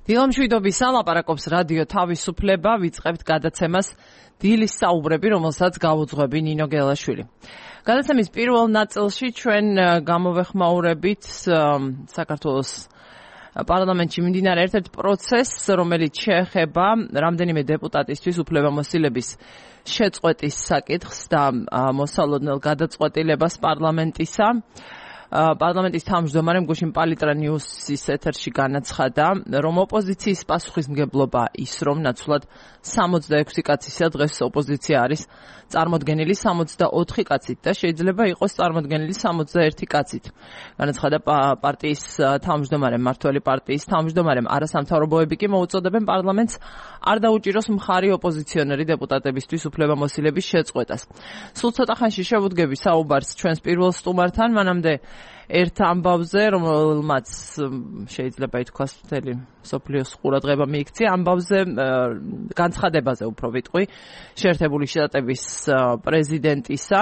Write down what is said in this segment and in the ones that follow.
დილამშვიდობისა ლაპარაკობს რადიო თავისუფლება, ვიწყებთ გადაცემას დილის საუბრები, რომელსაც გავუძღვები ნინო გელაშვილი. გადაცემის პირველ ნაწილში ჩვენ გამოვეხმაურებით საქართველოს პარლამენტში მიმდინარე ერთ-ერთ პროცესს, რომელიც შეეხება რამდენიმე დეპუტატისთვის უფლებამოსილების შეწყვეტის საკითხს და მოსალოდნელ გადაწყვეტილებას პარლამენტისა. პარლამენტის თავმჯდომარემ გუშინ პალიტრა ნიუსის ეთერში განაცხადა, რომ ოპოზიციის პასუხისმგებლობა ის, რომ ნაცვლად 66 კაცისა დღეს ოპოზიცია არის წარმოდგენილი 64 კაცით და შეიძლება იყოს წარმოდგენილი 61 კაცით. განაცხადა პარტიის თავმჯდომარემ, მმართველი პარტიის თავმჯდომარემ. არასამთავრობოები კი მოუწოდებენ პარლამენტს არ დაუჭიროს მხარი ოპოზიციონერი დეპუტატებისთვის უფლებამოსილების შეწყვეტას. სულ ცოტა ხანში შევუდგები საუბარს ჩვენს პირველ სტუმართან, მანამდე ერთ ამბავზე, რომელმაც შეიძლება ითქვას მთელი მსოფლიოს ყურადღება მიიქცია, ამბავზე განცხადებაზე უფრო ვიტყვი, შეერთებული შტატების პრეზიდენტისა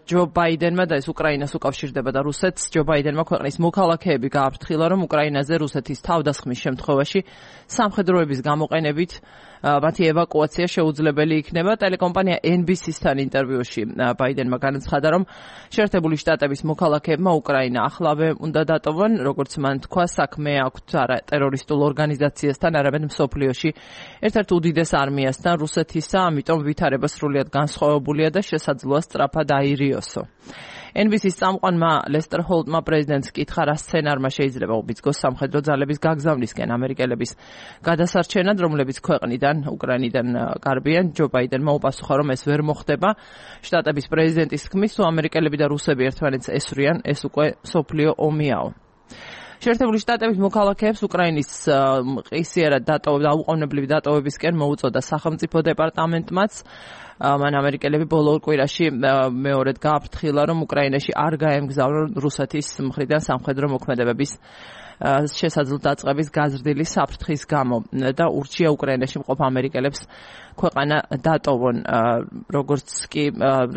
ჯო ბაიდენმა და ეს უკრაინას უკავშირდება და რუსეთს, ჯო ბაიდენმა ქვეყნის მოქალაქეები გააფრთხილა, რომ უკრაინაზე რუსეთის თავდასხმის შემთხვევაში სამხედროების გამოყენებით მათი ევაკუაცია შეუძლებელი იქნება. ტელეკომპანია NBC-სთან ინტერვიუში ბაიდენმა განაცხადა, რომ შეერთებული შტატების მოქალაქეებმა უკრაინა ახლავე უნდა დატოვონ, როგორც მან თქვა, საქმე აქვთ არა ტერორისტულ ორგანიზაციასთან, არამედ მსოფლიოში ერთ-ერთ უდიდეს არმიასთან რუსეთისა, ამიტომ ვითარება სრულიად განსხვავებულია და შესაძლოა სწრაფად აირიოსო. NBC-ის წამყვანმა ლესტერ ჰოლტმა პრეზიდენტს კითხა, რა სცენარმა შეიძლება უბიძგოს სამხედრო ძალების გაგზავნისკენ ამერიკელების გადასარჩენად, რომლებიც ქვეყნიდან, უკრაინიდან გარბიან. ჯო ბაიდენმა უპასუხა, რომ ეს ვერ მოხდება. შტატების პრეზიდენტის თქმის, თუ ამერიკელები და რუსები ერთმანეთს ესვრიან, ეს უკვე მსოფლიო ომიაო. შეერთებული შტატების მოქალაქეებს უკრაინის მყისიერად დაუყოვნებლივი დატოვებისკენ მოუწოდა სახელმწიფო დეპარტამენტმაც. მან ამერიკელები ბოლო კვირაში მეორედ გააფრთხილა, რომ უკრაინაში არ გაემგზავრონ რუსეთის მხრიდან სამხედრო მოქმედებების შესაძლო დაწყების გაზრდილი საფრთხის გამო და ურჩია უკრაინაში მყოფ ამერიკელებს ქვეყანა დატოვონ, როგორც კი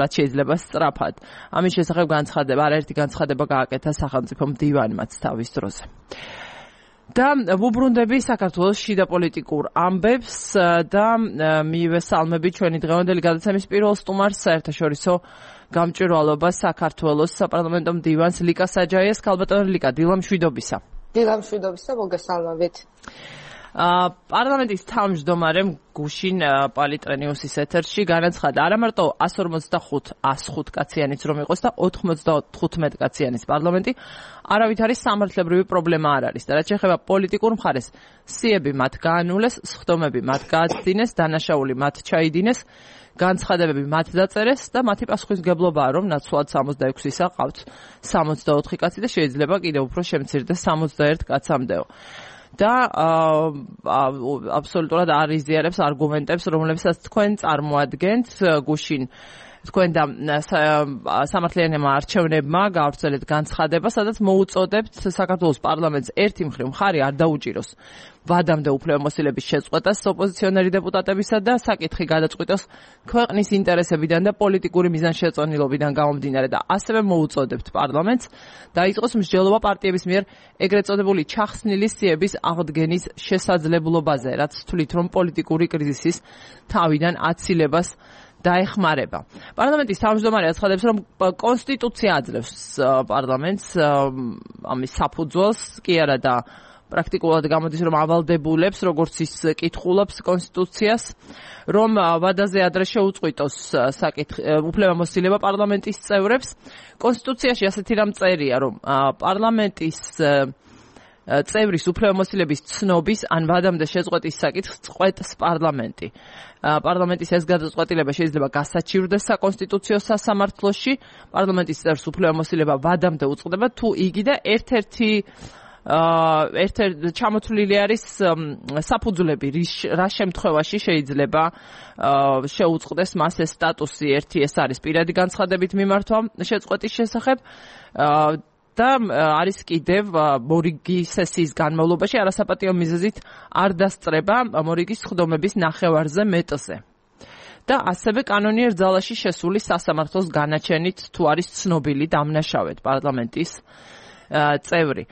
რაც შეიძლება სწრაფად. ამის შესახებ არაერთი განცხადება გააკეთა სახელმწიფო მდივანმაც თავის დროზე. და ვუბრუნდები საქართველოს შიდა პოლიტიკურ ამბებს და მივესალმები ჩვენი დღევანდელი გადაცემის პირველ სტუმარს, საერთაშორისო გამჭვირვალობა საქართველოს საპარლამენტო მდივანს ლიკა საჯაიას. ქალბატონო ლიკა, დილამშვიდობისა. დილამშვიდობისა, მოგესალმებით. პარლამენტის თავმჯდომარემ გუშინ პალიტრა ნიუსის ეთერში განაცხადა, არა მარტო 145 კაციანიც რომ იყოს და 95 კაციანიც პარლამენტი, არავითარი სამართლებრივი პრობლემა არ არის და რაც შეეხება პოლიტიკურ მხარეს, სიები მათ გაანულეს, სხდომები მათ გააცდინეს, დანაშაული მათ ჩაიდინეს, განცხადებები მათ დაწერეს და მათი პასუხისმგებლობაა, რომ ნაცვლად 66-ისა ყავთ 64 კაცი და შეიძლება კიდევ უფრო შემცირდეს 61 კაცამდეო. და აბსოლუტურად არ იზიარებს არგუმენტებს, რომლებსაც თქვენ წარმოადგენთ. გუშინ თქვენ და სამართლიანმა არჩევნებმა გავრცელეთ განცხადება, სადაც მოუწოდებთ საქართველოს პარლამენტს ერთი მხრივ მხარი არ დაუჭიროს ვადამდე უფლებამოსილების შეწყვეტას ოპოზიციონერი დეპუტატებისა და საკითხი გადაწყვიტოს ქვეყნის ინტერესებიდან და პოლიტიკური მიზანშეწონილობიდან გამომდინარე და ასევე მოუწოდებთ პარლამენტს დაიწყოს მსჯელობა პარტიების მიერ ეგრეთ წოდებული ჩახსნილი სიების აღდგენის შესაძლებლობაზე, რაც თვლით, რომ პოლიტიკური კრიზისის თავიდან აცილებას დაეხმარება. პარლამენტის თავმჯდომარე აცხადებს, რომ კონსტიტუცია აძლევს პარლამენტს ამის საფუძველს, კი არა და პრაქტიკულად გამოდის, რომ ავალდებულებს, როგორც ის კითხულობს კონსტიტუციას, რომ ვადაზე ადრე შეუწყვიტოს უფლებამოსილება პარლამენტის წევრებს. კონსტიტუციაში ასეთი რამ წერია, რომ პარლამენტის წევრის უფლებამოსილების ცნობის ან ვადამდე შეწყვეტის საკითხს წყვეტს პარლამენტი. პარლამენტის ეს გადაწყვეტილება შეიძლება გასაჩივრდეს საკონსტიტუციო სასამართლოში. პარლამენტის წევრს უფლებამოსილება ვადამდე უწყდება, თუ იგი და ერთ-ერთი ჩამოთვლილი არის საფუძვლები, რა შემთხვევაში შეიძლება შეუწყდეს მას ეს სტატუსი. ერთი ეს არის პირადი განცხადებით მიმართვა შეწყვეტის შესახებ და არის კიდევ მორიგი სესიის განმავლობაში არასაპატიო მიზეზით არ დასწრება მორიგის სხდომების ნახევარზე მეტზე. და ასევე კანონიერ ძალაში შესული სასამართლოს განაჩენით თუ არის ცნობილი დამნაშავედ პარლამენტის წევრი.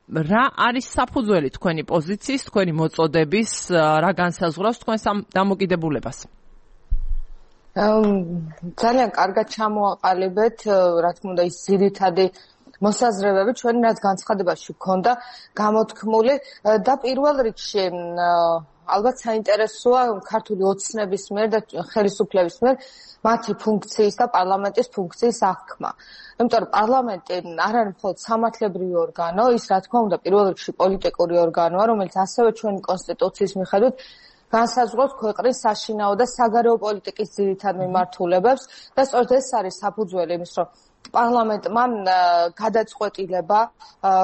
რა არის საფუძველი თქვენი პოზიციის, თქვენი მოწოდების, რა განსაზღვრავს თქვენს ამ დამოკიდებულებას? ძალიან კარგად ჩამოაყალიბეთ, რა თქმა უნდა, ის ძირითადი მოსაზრებები ჩვენი რაც განცხადებაში გქონდა გამოთქმული და პირველ რიგში ალბათ საინტერესოა ქართული ოცნების მიერ და ხელისუფლების მიერ მათი ფუნქციის და პარლამენტის ფუნქციის აღქმა. იმიტომ რომ პარლამენტი არ არის მხოლოდ სამართლებრივი ორგანო, ის რა თქმა უნდა პირველ რიგში პოლიტიკური ორგანოა, რომელიც ასევე ჩვენი კონსტიტუციის მიხედვით განსაზღვრავს ქვეყნის საშინაო და საგარეო პოლიტიკის ძირითად მიმართულებებს და სწორედ ეს არის საფუძველი იმის, რომ პარლამენტმა გადაწყვეტილება,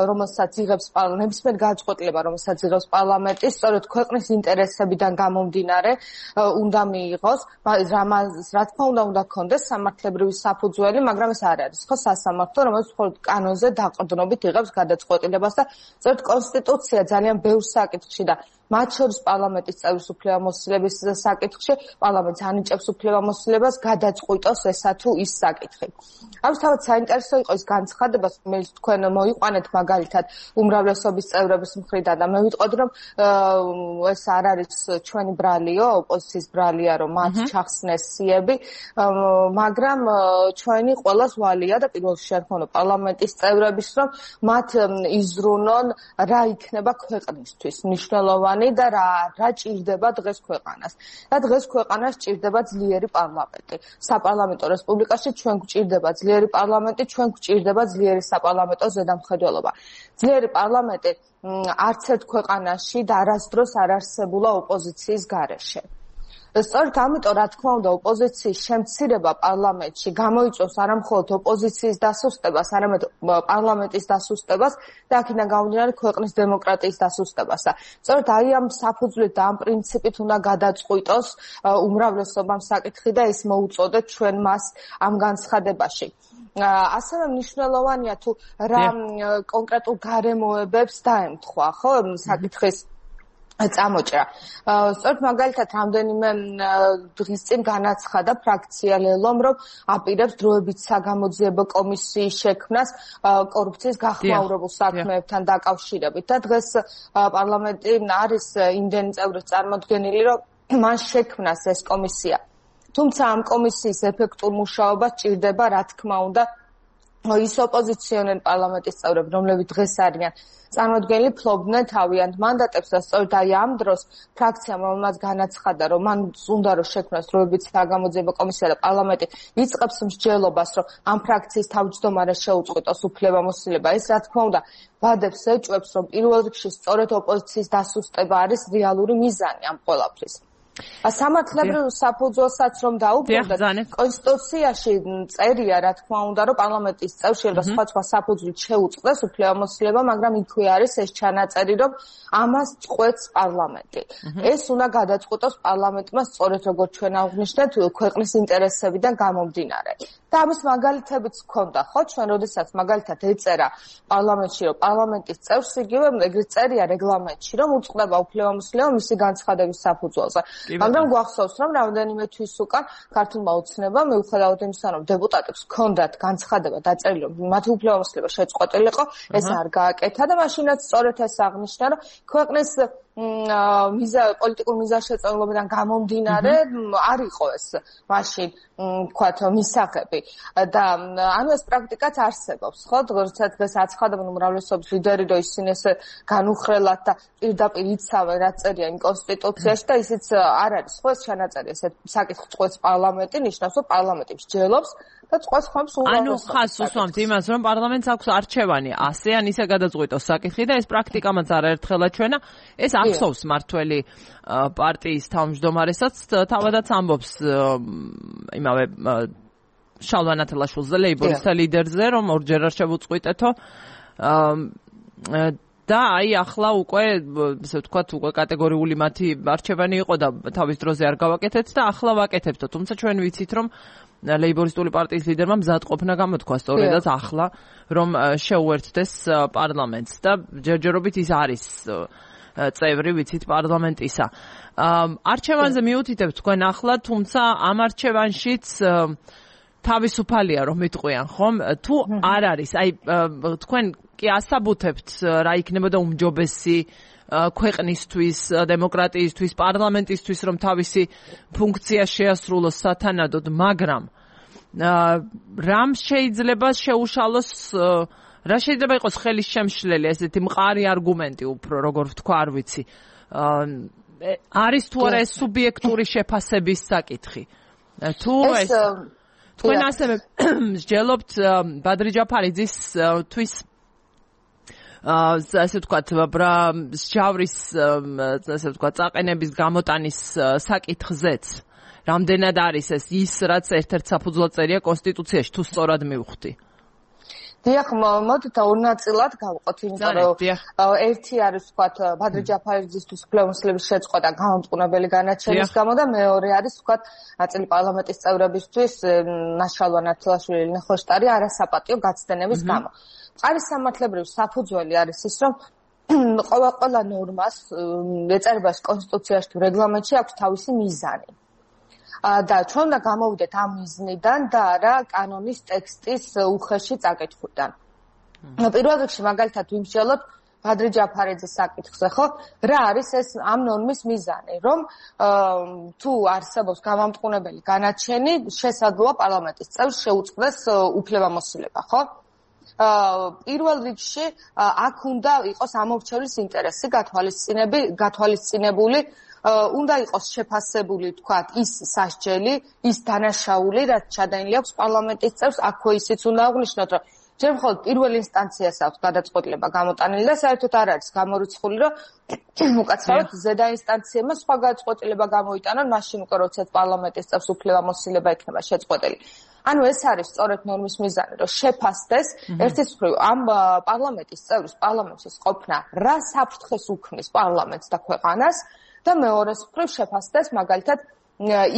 რომელსაც იღებს ნებისმიერ გადაწყვეტილება, რომელსაც იღებს პარლამენტი, სწორედ ქვეყნის ინტერესებიდან გამომდინარე უნდა მიიღოს, რა თქმა უნდა გქონდეს სამართლებრივი საფუძველი, მაგრამ ეს არ არის ხო სასამართლო, რომელიც მხოლოდ კანონზე დაყრდნობით იღებს გადაწყვეტილებას და სწორედ კონსტიტუცია ძალიან ბევრ საკითხში და მათ შორის პარლამენტის წევრის უფლებამოსილების საკითხში პარლამენტს ანიჭებს უფლებამოსილებას გადაწყვიტოს ესა თუ ის საკითხი. ამის თავად საინტერესო იყო ის განცხადება, რომელიც თქვენ მოიყვანეთ მაგალითად უმრავლესობის წევრების მხრიდან და მე ვიტყოდი რომ ეს არ არის ჩვენი ბრალიო, ოპოზიციის ბრალია, რომ მათ ჩახსნეს სიები, მაგრამ ჩვენი ყველას ვალია და პირველ რიგში პარლამენტის წევრების, რომ მათ იზრუნონ რა იქნება ქვეყნისთვის მნიშვნელოვანი და რა ჭირდება დღეს ქვეყანას. და დღეს ქვეყანას ჭირდება ძლიერი პარლამენტი. საპარლამენტო რესპუბლიკაში ჩვენ გვჭირდება ძლიერი პარლამენტი, ჩვენ გვჭირდება ძლიერი საპარლამენტო ზედამხედველობა. ძლიერი პარლამენტი არც ერთ ქვეყანაში და არასდროს არ არსებულა ოპოზიციის გარეშე. სწორედ ამიტომ რა თქმა უნდა ოპოზიციის შემცირება პარლამენტში გამოიწვევს არა მხოლოდ ოპოზიციის დასუსტებას, არამედ პარლამენტის დასუსტებას და აქედან გამომდინარე ქვეყნის დემოკრატიის დასუსტებას. სწორედ აი ამ საფუძვლით და ამ პრინციპით უნდა გადაწყვიტოს უმრავლესობამ საკითხი და ეს მოუწოდეთ ჩვენ მას ამ განცხადებაში. ასევე მნიშვნელოვანია თუ რა კონკრეტულ გარემოებებს დაემთხვა, ხო, საკითხის წამოჭრა. სწორედ მაგალითად რამდენიმე დღის წინ განაცხადა ფრაქცია ლელომ, რომ აპირებს დროებით საგამოძიებო კომისიის შექმნას კორუფციის გახმაურებულ საქმეებთან დაკავშირებით და დღეს პარლამენტი არის იმდენი წევრით წარმოდგენილი, რომ მან შექმნას ეს კომისია. თუმცა ამ კომისიის ეფექტურ მუშაობას ჭირდება, რა თქმა უნდა, ის ოპოზიციონერი პარლამენტის წევრები, რომლებიც დღეს არიან წარმოდგენილი, ფლობდნენ თავიანთ მანდატებს და სწორედ აი ამ დროს ფრაქციამ რომელმაც განაცხადა, რომ მან უნდა რომ შექმნას დროებით საგამოძიებო კომისია და პარლამენტი იწყებს მსჯელობას, რომ ამ ფრაქციის თავმჯდომარეს შეუწყვეტოს უფლებამოსილება. ეს რა თქმა უნდა ვადებს ეჭვებს, რომ პირველ რიგში სწორედ ოპოზიციის დასუსტება არის რეალური მიზანი ამ ყველაფრის. სამართლებრივ საფუძველსაც რომ დაუბრუნდეთ, კონსტიტუციაში წერია, რა თქმა უნდა, რომ პარლამენტის წევრს შეიძლება სხვა საფუძვლით შეუწყდეს უფლებამოსილება, მაგრამ იქვე არის ეს ჩანაწერი, რომ ამას წყვეტს პარლამენტი. ეს უნდა გადაწყვიტოს პარლამენტმა სწორედ როგორც ჩვენ აღვნიშნეთ, ქვეყნის ინტერესებიდან გამომდინარე. და ამის მაგალითებიც ჰქონდა, ხო, ჩვენ როდესაც მაგალითად ეწერა პარლამენტში, რომ პარლამენტის წევრს იგივე ეგრეთ წერია რეგლამენტში, რომ უწყდება უფლებამოსილება მისი განცხადების საფუძველზე. მაგრამ გვახსოვს, რომ რამდენიმე თვის უკან ქართულმა ოცნებამ მიუხედავად იმისა, რომ დეპუტატებს ჰქონდათ განცხადება დაწერილი, რომ მათი უფლებამოსილება შეწყვეტილიყო, ეს არ გააკეთა და მაშინაც სწორედ ეს აღნიშნა, რომ ქვეყნის პოლიტიკურ მიზანშეწონილობიდან გამომდინარე არ იყო ეს მაშინ ვთქვათ მისაღები და ანუ ეს პრაქტიკაც არსებობს, ხო? როდესაც დღეს აცხადებენ უმრავლესობის ლიდერი, რომ ისინი ესე განუხრელად და პირდაპირ იცავენ რა წერია იმ კონსტიტუციაში და ისიც არ არის, ხო, ეს ჩანაწერი ესე საკითხი წყვეტს პარლამენტი, ნიშნავს, რომ პარლამენტი მსჯელობს და წყვეტს ხმებს უმრავლესობას. ანუ ხას უსვამთ იმას, რომ პარლამენტს აქვს არჩევანი ასე ან ისე გადაწყვიტოს საკითხი და ეს პრაქტიკამაც არაერთხელა ჩვენა, ეს ახსოვს მართველი პარტიის თავმჯდომარესაც თავადაც ამბობს იმავე შალვა ნათელაშვილზე, ლეიბორისტთა ლიდერზე, რომ ორჯერ არ შევუწყვიტეთო და აი ახლა უკვე ესე ვთქვათ უკვე კატეგორიული მათი არჩევანი იყო და თავის დროზე არ გავაკეთეთ და ახლა ვაკეთებთო. თუმცა ჩვენ ვიცით, რომ ლეიბორისტული პარტიის ლიდერმა მზადყოფნა გამოთქვა სწორედაც ახლა, რომ შეუერთდეს პარლამენტს და ჯერჯერობით ის არის წევრი ვიცით პარლამენტისა. არჩევანზე მიუთითებთ თქვენ ახლა, თუმცა ამ არჩევანშიც თავისუფალია რომ მიტყვიან ხომ თუ არ არის აი თქვენ კი ასაბუთებთ რა იქნებოდა უმჯობესი ქვეყნისთვის, დემოკრატიისთვის, პარლამენტისთვის რომ თავისი ფუნქცია შეასრულოს სათანადოდ, მაგრამ რამ შეიძლება შეუშალოს რა შეიძლება იყოს ხელის შემშლელი ესეთი მყარი არგუმენტი უფრო როგორ ვთქვა არ ვიცი არის თუ არა ეს სუბიექტური შეფასების საკითხი თუ ეს თქვენ ასევე მსჯელობთ ბადრი ჯაფარიძის თვის ასე ვთქვათ მსჯავრის ასე ვთქვათ წაყენების გამოტანის საკითხზეც რამდენად არის ეს ის რაც ერთ-ერთ საფუძვლად წერია კონსტიტუციაში თუ სწორად მივხვდი დიახ, მოდით ორ ნაწილად გავყოთ, იმიტომ რომ ერთი არის ვთქვათ ბადრი ჯაფარიძისთვის უფლებამოსილების შეწყვეტა და გამომწყნებელი განაჩენის გამო და მეორე არის ვთქვათ ნაწილი პარლამენტის წევრებისთვის ნაშალვა ნათელაშვილი ნახოშტარი არასაპატიო გაცდენების გამო. მყარი სამართლებრივი საფუძველი არის ის, რომ ყველა ნორმას ეწერებას კონსტიტუციაში თუ რეგლამენტში აქვს თავისი მიზანი. და ჩვენ უნდა გამოვიდეთ ამ მიზნიდან და არა კანონის ტექსტის უხეში წაკითხვიდან. პირველ რიგში მაგალითად ვიმსჯელოთ ბადრი ჯაფარიძის საკითხზე, ხო? რა არის ეს ამ ნორმის მიზანი, რომ თუ არსებობს გამამტყუნებელი განაჩენი, შესაძლოა პარლამენტის წევრს შეუწყდეს უფლებამოსილება, ხო? პირველ რიგში აქ უნდა იყოს ამორჩევლის ინტერესი გათვალისწინებული უნდა იყოს შეფასებული, თქვათ, ის სასჯელი, ის დანაშაული, რაც ჩადენილი აქვს პარლამენტის წევრს, აქვე ისიც უნდა აღნიშნოთ, რომ ჯერ მხოლოდ პირველ ინსტანციას აქვს გადაწყვეტილება გამოტანილი და საერთოდ არ არის გამორიცხული, რომ უკაცრავად ზედა ინსტანციებმა სხვა გადაწყვეტილება გამოიტანონ, მაშინ უკვე როდესაც პარლამენტის წევრს უფლებამოსილება იქნება შეწყვეტილი. ანუ ეს არის სწორედ ნორმის მიზანი, რომ შეფასდეს ერთის მხრივ ამ პარლამენტის წევრის პარლამენტის ყოფნა რა საფრთხეს უქმნის პარლამენტს და ქვეყანას და მეორეს მხრივ შეფასდეს მაგალითად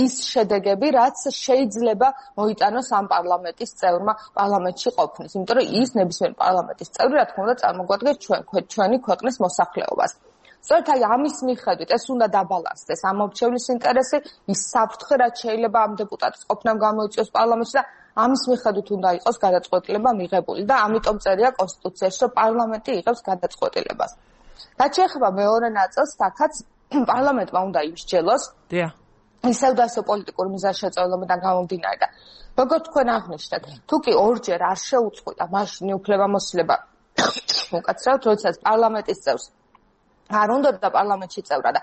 ის შედეგები, რაც შეიძლება მოიტანოს ამ პარლამენტის წევრმა პარლამენტში ყოფნის, იმიტომ რომ ის ნებისმიერ პარლამენტის წევრი, რა თქმა უნდა, წარმოგვადგეს ჩვენი ქვეყნის მოსახლეობას. სწორედ აი ამის მიხედვით ეს უნდა დაბალანსდეს ამორჩევლის ინტერესი, ის საფრთხე, რაც შეიძლება ამ დეპუტატის ყოფნამ გამოიწვიოს პარლამენტში და ამის მიხედვით უნდა იყოს გადაწყვეტილება მიღებული და ამიტომ წერია კონსტიტუციაში, რომ პარლამენტი იღებს გადაწყვეტილებას. რაც შეეხება მეორე ნაწილს, აქაც პარლამენტმა უნდა იმსჯელოს. ისევ და ისევ პოლიტიკური მიზანშეწონებიდან გამომდინარე და როგორც თქვენ აღნიშნეთ, თუ კი ორჯერ არ შეუწყვეტა მაშინ უფლებამოსილება უკაცრავად, როდესაც პარლამენტის წევრს არ უნდა და პარლამენტში წევრა და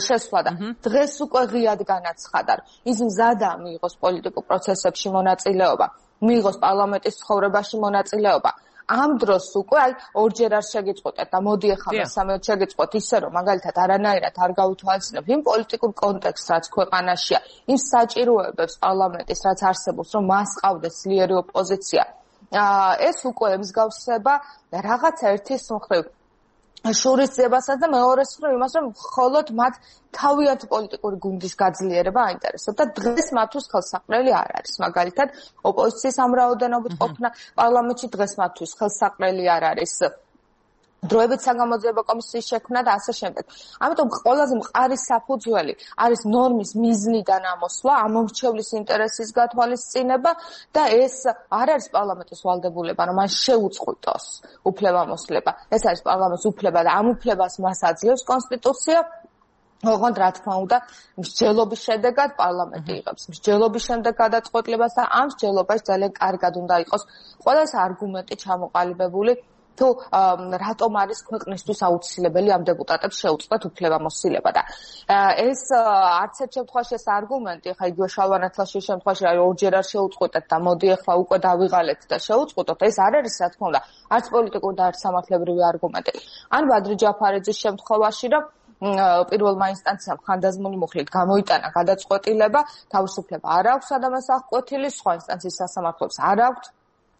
შესვლა და დღეს უკვე ღიად განაცხადა, ის მზადა მიიღოს პოლიტიკურ პროცესებში მონაწილეობა, მიიღოს პარლამენტის ცხოვრებაში მონაწილეობა. ამ დროს უკვე აი ორჯერ არ შეგიწყვეტეთ და მოდი ახლა მესამედ შეგიწყვეტ ისე რომ მაგალითად არანაირად არ გავითვალისწინებ იმ პოლიტიკურ კონტექსტს რაც ქვეყანაშია, იმ საჭიროებებს პარლამენტის რაც არსებობს, რომ მას ყავდეს ძლიერი ოპოზიცია. ეს უკვე ემსგავსება რაღაცა ერთის მხრივ შურისძიებასაც და მეორეს მხრივ იმას, რომ მხოლოდ მათ თავიანთი პოლიტიკური გუნდის გაძლიერება აინტერესებთ და დღეს მათთვის ხელსაყრელი არ არის. მაგალითად, ოპოზიციის ამ რაოდენობით ყოფნა პარლამენტში დღეს მათთვის ხელსაყრელი არ არის. დროებით საგამოძიებო კომისიის შექმნა და ასე შემდეგ. ამიტომ ყველაზე მყარი საფუძველი არის ნორმის მიზნიდან ამოსვლა, ამორჩევლის ინტერესის გათვალისწინება და ეს არ არის პარლამენტის ვალდებულება, რომ მან შეუწყვეტოს უფლებამოსილება. ეს არის პარლამენტის უფლება და ამ უფლებას მას აძლევს კონსტიტუცია. ოღონდ რა თქმა უნდა, მსჯელობის შედეგად პარლამენტი იღებს მსჯელობის შემდეგ გადაწყვეტილებას და ამ მსჯელობაში ძალიან კარგად უნდა იყოს ყველა ეს არგუმენტი ჩამოყალიბებული. თუ რატომ არის ქვეყნისთვის აუცილებელი ამ დეპუტატებს შეუწყოთ უფლებამოსილება და ეს არც ერთ შემთხვევაში ეს არგუმენტი, ხა იგივე შალვანათლაშვილის შემთხვევაში ორჯერ არ შეუწყვეტეთ და მოდი ახლა უკვე დავიღალეთ და შეუწყვეტოთ, ეს არ არის რა თქმა უნდა არც პოლიტიკური და არც სამართლებრივი არგუმენტი. ან ბადრი ჯაფარიძის შემთხვევაში, რომ პირველმა ინსტანციამ ხანდაზმული მუხლით გამოიტანა გადაწყვეტილება, თავისუფლება არ აქვს ადამიანს აღკვეთილი, სხვა ინსტანციის სასამართლოებს არ აქვს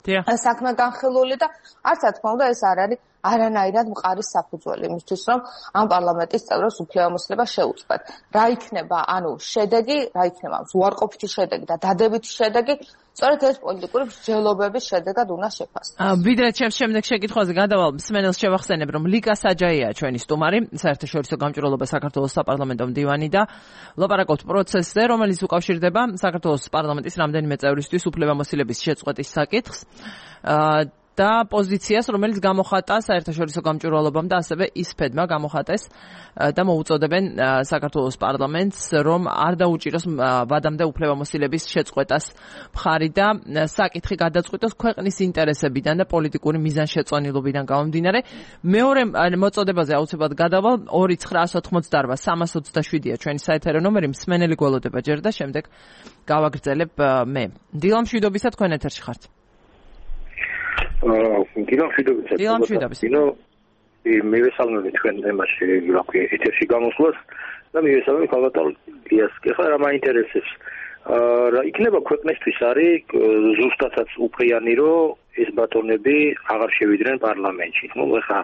საქმე განხილული და არც რა თქმა უნდა ეს არ არის არანაირად მყარი საფუძველი იმისთვის, რომ ამ პარლამენტის წევრებს უფლებამოსილება შეუწყდეთ. რა იქნება, ანუ შედეგი, რა იქნება უარყოფითი შედეგი და დადებითი შედეგი, სწორედ ეს პოლიტიკური მსჯელობების შედეგად უნდა შეფასდეს. ვიდრე ჩემს შემდეგ შეკითხვაზე გადავალ, მსმენელს შევახსენებ, რომ ლიკა საჯაია ჩვენი სტუმარი, საერთაშორისო გამჭვირვალობა საქართველოს საპარლამენტო მდივანი და ვლაპარაკობთ პროცესზე, რომელიც უკავშირდება საქართველოს პარლამენტის რამდენიმე წევრისთვის უფლებამოსილების შეწყვეტის საკითხს. და პოზიციას, რომელიც გამოხატა საერთაშორისო გამჭვირვალობამ და ასევე ისფედმა გამოხატეს და მოუწოდებენ საქართველოს პარლამენტს, რომ არ დაუჭიროს ვადამდე უფლებამოსილების შეწყვეტას მხარი და საკითხი გადაწყვიტოს ქვეყნის ინტერესებიდან და პოლიტიკური მიზანშეწონილობიდან გამომდინარე. მეორე მოწოდებაზე აუცილებლად გადავალ 2-988-327-ია ჩვენი საეთერო ნომერი, მსმენელი გველოდება ჯერ და შემდეგ გავაგრძელებ მე. დილა მშვიდობისა, თქვენ ეთერში ხართ. დილამშვიდობისა. მე ვესალმები თქვენ თემაში, რა ქვია, ეთერში გამოსვლას და მე ვესალმები ქალბატონ გიას. ეხლა რა მაინტერესებს? რა იქნება ქვეყნისთვის არის ზუსტადაც უფრიანი, რომ ეს ბატონები აღარ შევიდნენ პარლამენტში. ნუ ეხლა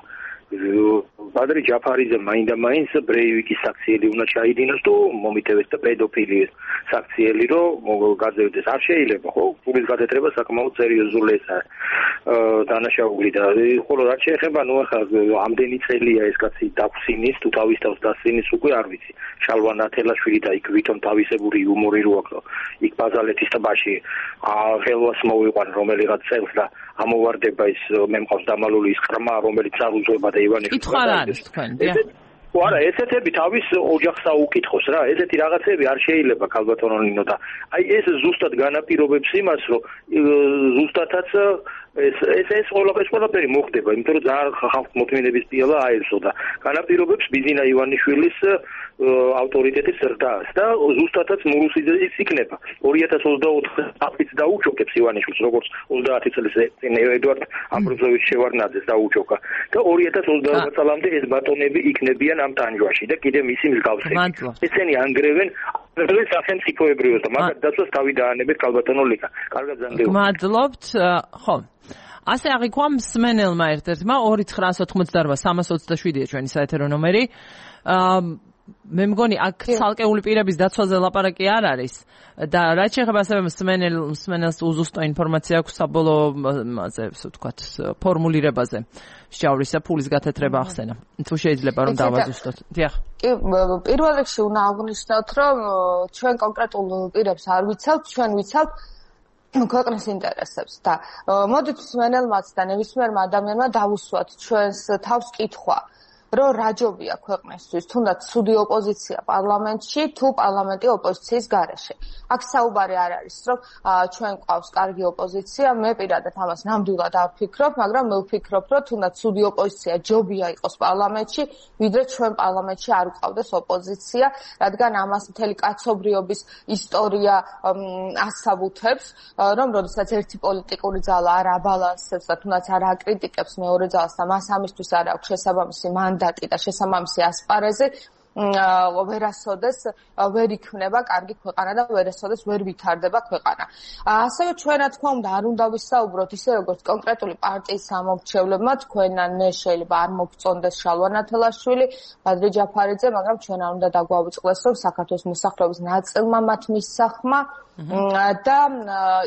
ბადრი ჯაფარიძე მაინდა-მაინც ბრეივიკის საქციელი უნდა ჩაიდინოს თუ მომიტევეს და პედოფილიის საქციელი რომ გაძევდეს. არ შეიძლება, ხო? ფულის გადატრება საკმაოდ სერიოზული ესაა დანაშაული და ხოლო რაც შეეხება, ნუ ახლა ამდენი წელია ეს კაცი დაგვსინის თუ თავის თავს დასინის უკვე არ ვიცი. შალვა ნათელაშვილი და იქ ვითომ თავისებური იუმორი რო აქვს, იქ ბაზალეთის ტბაში ხელვას მოვიყვან რომელიღაც წელს და ამოვარდება ის მე მყავს დამალული ის ყრმა რომელიც არუძვება და ივანიშვილი. კითხვა რა არის თქვენ? არა, ესეთები თავის ოჯახს აუკითხოს რა. ესეთი რაღაცები არ შეიძლება ქალბატონო ნინო და აი ეს ზუსტად განაპირობებს იმას, რომ ზუსტადაც ეს ყველაფერი მოხდება, იმიტომ რომ ძალიან ხალხ მოთმინების პიალა აერსო და განაპირობებს ბიზინა ივანიშვილის ავტორიტეტის ზრდას და ზუსტადაც მურუსიძის იქნება. 2024 წელს დაუჩოქებს ივანიშვილს, როგორც 30 წლის წინ ედვარდ ამბროზოვიჩ შევარნაძეს დაუჩოქა და 2024 წლამდე ეს ბატონები იქნებიან ამ ტანჯვაში და კიდე მისი მსგავსები. ესენი ანგრევენ სახელმწიფოებრიოს და მაგათ დაცვას თავი დაანებეთ ქალბატონო ლიკა. კარგად ზანგეო. მადლობთ. ხო. ასე აღიქვა მსმენელმა ერთ-ერთმა 2-988-327-ია ჩვენი საეთერო ნომერი. მე მგონი აქ ცალკეული პირების დაცვაზე ლაპარაკი არ არის და რაც შეეხება ასევე მსმენელს უზუსტო ინფორმაცია აქვს საბოლოოზე, ასე ვთქვათ, ფორმულირებაზე შეავლისა ფულის გათეთრება ახსენა. თუ შეიძლება რომ დავაზუსტოთ. დიახ. კი, პირველ რიგში უნდა აღვნიშნოთ, რომ ჩვენ კონკრეტულ პირებს არ ვიცავთ, ჩვენ ვიცავთ ქვეყნის ინტერესებს და მოდით მსმენელმაც და ნებისმიერმა ადამიანმა დავუსვათ ჩვენს თავს კითხვა, რომ რა ჯობია ქვეყნისთვის, თუნდაც ცუდი ოპოზიცია პარლამენტში, თუ პარლამენტი ოპოზიციის გარეშე. აქ საუბარი არ არის, რომ ჩვენ ყავს კარგი ოპოზიცია, მე პირადად ამას ნამდვილად არ ვფიქრობ, მაგრამ მე ვფიქრობ, რომ თუნდაც ცუდი ოპოზიცია ჯობია იყოს პარლამენტში, ვიდრე ჩვენ პარლამენტში არ ვყავდეს ოპოზიცია, რადგან ამას მთელი კაცობრიობის ისტორია ასაბუთებს, რომ როდესაც ერთი პოლიტიკური ძალა არ აბალანსებს და თუნდაც არ აკრიტიკებს მეორე ძალას და მას ამისთვის არ აქვს შესაბამისი მანდატი და შესაბამისი ასპარეზი, ვერასოდეს ვერ იქნება კარგი ქვეყანა და ვერასოდეს ვერ ვითარდება ქვეყანა. ასევე ჩვენ რა თქმა უნდა არ უნდა ვისაუბროთ ისე როგორც კონკრეტული პარტიის ამომრჩევლებმა, თქვენან მე შეიძლება არ მოგწონდეს შალვა ნათელაშვილი, ბადრი ჯაფარიძე, მაგრამ ჩვენ არ უნდა დაგვაუწყდეს, რომ საქართველოს მოსახლეობის ნაწილმა მათ მისსახმა და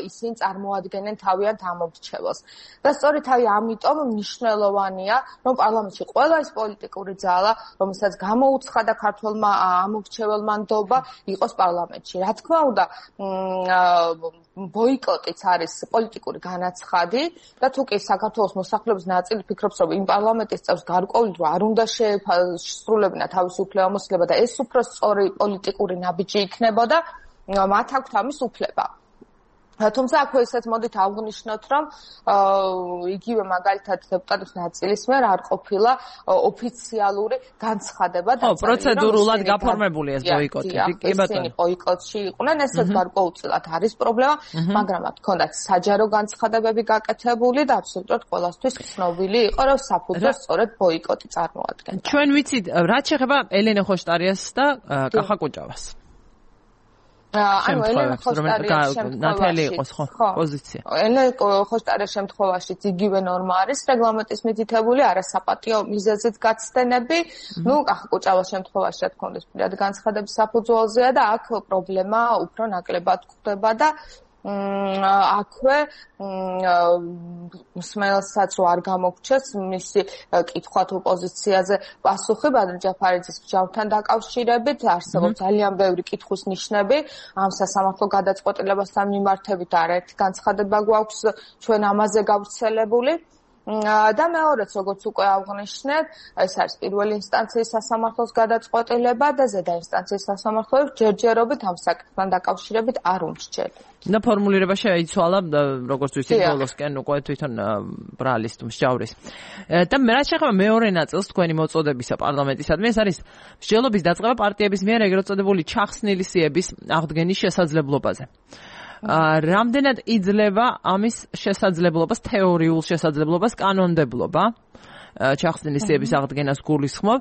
ისინი წარმოადგენენ თავიანთ ამომრჩეველს. და სწორედ ამიტომ მნიშვნელოვანია, რომ პარლამენტში ყველა ის პოლიტიკური ძალა, რომელსაც გამოუცხადა ქართველმა ამომრჩეველმა ნდობა, იყოს პარლამენტში. რა თქმა უნდა, ბოიკოტიც არის პოლიტიკური განაცხადი და თუ კი საქართველოს მოსახლეობის ნაწილი ფიქრობს, რომ იმ პარლამენტის წევრს გარკვეული დრო არ უნდა შეესრულებინა თავისი უფლებამოსილება და ეს უფრო სწორი პოლიტიკური ნაბიჯი იქნებოდა, მათ აქვთ ამის უფლება. თუმცა აქვე ისეთ მოდით აღვნიშნოთ, რომ იგივე მაგალითად დეპუტატების ნაწილის მიერ არ ყოფილა ოფიციალური განცხადება და პროცედურულად გაფორმებული ეს ბოიკოტი. კი ბატონო, ბოიკოტში იყვნენ, ესეც გარკვეულწილად არის პრობლემა, მაგრამ მათ ჰქონდათ საჯარო განცხადებები გაკეთებული და აბსოლუტურად ყველასთვის ცნობილი იყო, რომ საფუძვლად სწორედ ბოიკოტი წარმოადგენდა. ჩვენ ვიცით, რაც შეეხება ელენე ხოშტარიას და კახა კუჭავას. ანუ ელენა ხოშტარიას ნათელი იყოს ხო პოზიცია. ელენა ხოშტარიას შემთხვევაშიც იგივე ნორმა არის რეგლამენტის მითითებული არასაპატიო მიზეზით გაცდენები. ნუ კუჭავას შემთხვევაში რა თქმა უნდა პირად განცხადების საფუძველზეა და აქ პრობლემა უფრო ნაკლებად გვხვდება და აქვე მსმენელსაც არ გამოგჩეს მისი კითხვა თუ პოზიციაზე პასუხი ბადრი ჯაფარიძის მსჯავრთან დაკავშირებით არსებობს ძალიან ბევრი კითხვის ნიშნები ამ სასამართლო გადაწყვეტილებასთან მიმართებით არაერთი განცხადება გვაქვს ჩვენ ამაზე გავრცელებული და მეორეც როგორც უკვე აღნიშნეთ ეს არის პირველი ინსტანციის სასამართლოს გადაწყვეტილება და ზედა ინსტანციის სასამართლოებს ჯერჯერობით ამ საკითხთან დაკავშირებით არ უმსჯელთ. და ფორმულირება შეიცვალა როგორც ვიცით ბოლოსკენ უკვე თვითონ ბრალის თუ მსჯავრის. და რა შეეხება მეორე ნაწილს თქვენი მოწოდებისა პარლამენტისადმი ეს არის მსჯელობის დაწყება პარტიების მიერ ეგრეთ წოდებული ჩახსნილი სიების აღდგენის შესაძლებლობაზე. რამდენად იძლევა ამის შესაძლებლობას თეორიულ შესაძლებლობას კანონმდებლობა ჩახსნილი სიების აღდგენას გულისხმობ.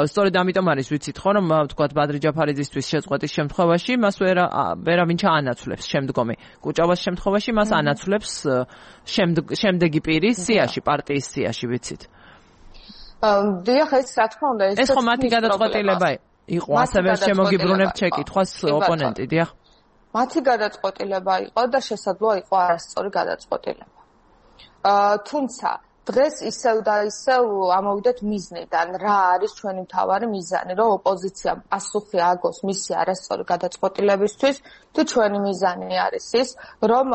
სწორედ ამიტომ არის ვიცით ხო რომ თქვათ ბადრი ჯაფარიძისთვის შეწყვეტის შემთხვევაში მას ვერავინ ჩაანაცვლებს შემდგომი კუჭავას შემთხვევაში მას ანაცვლებს შემდეგი პირის სიაში პარტიის სიაში ვიცით. დიახ ეს რა თქმა უნდა ეს ხო მათი გადაწყვეტილება იყო ასევე შემოგიბრუნებთ შეკითხვას ოპონენტი დიახ. მათი გადაწყვეტილება იყო და შესაძლოა იყო არასწორი გადაწყვეტილება. თუმცა დღეს ისევ და ისევ ამოვიდეთ მიზნიდან, რა არის ჩვენი მთავარი მიზანი, რომ ოპოზიციამ პასუხი აგოს მისი არასწორი გადაწყვეტილებისთვის, თუ ჩვენი მიზანი არის ის, რომ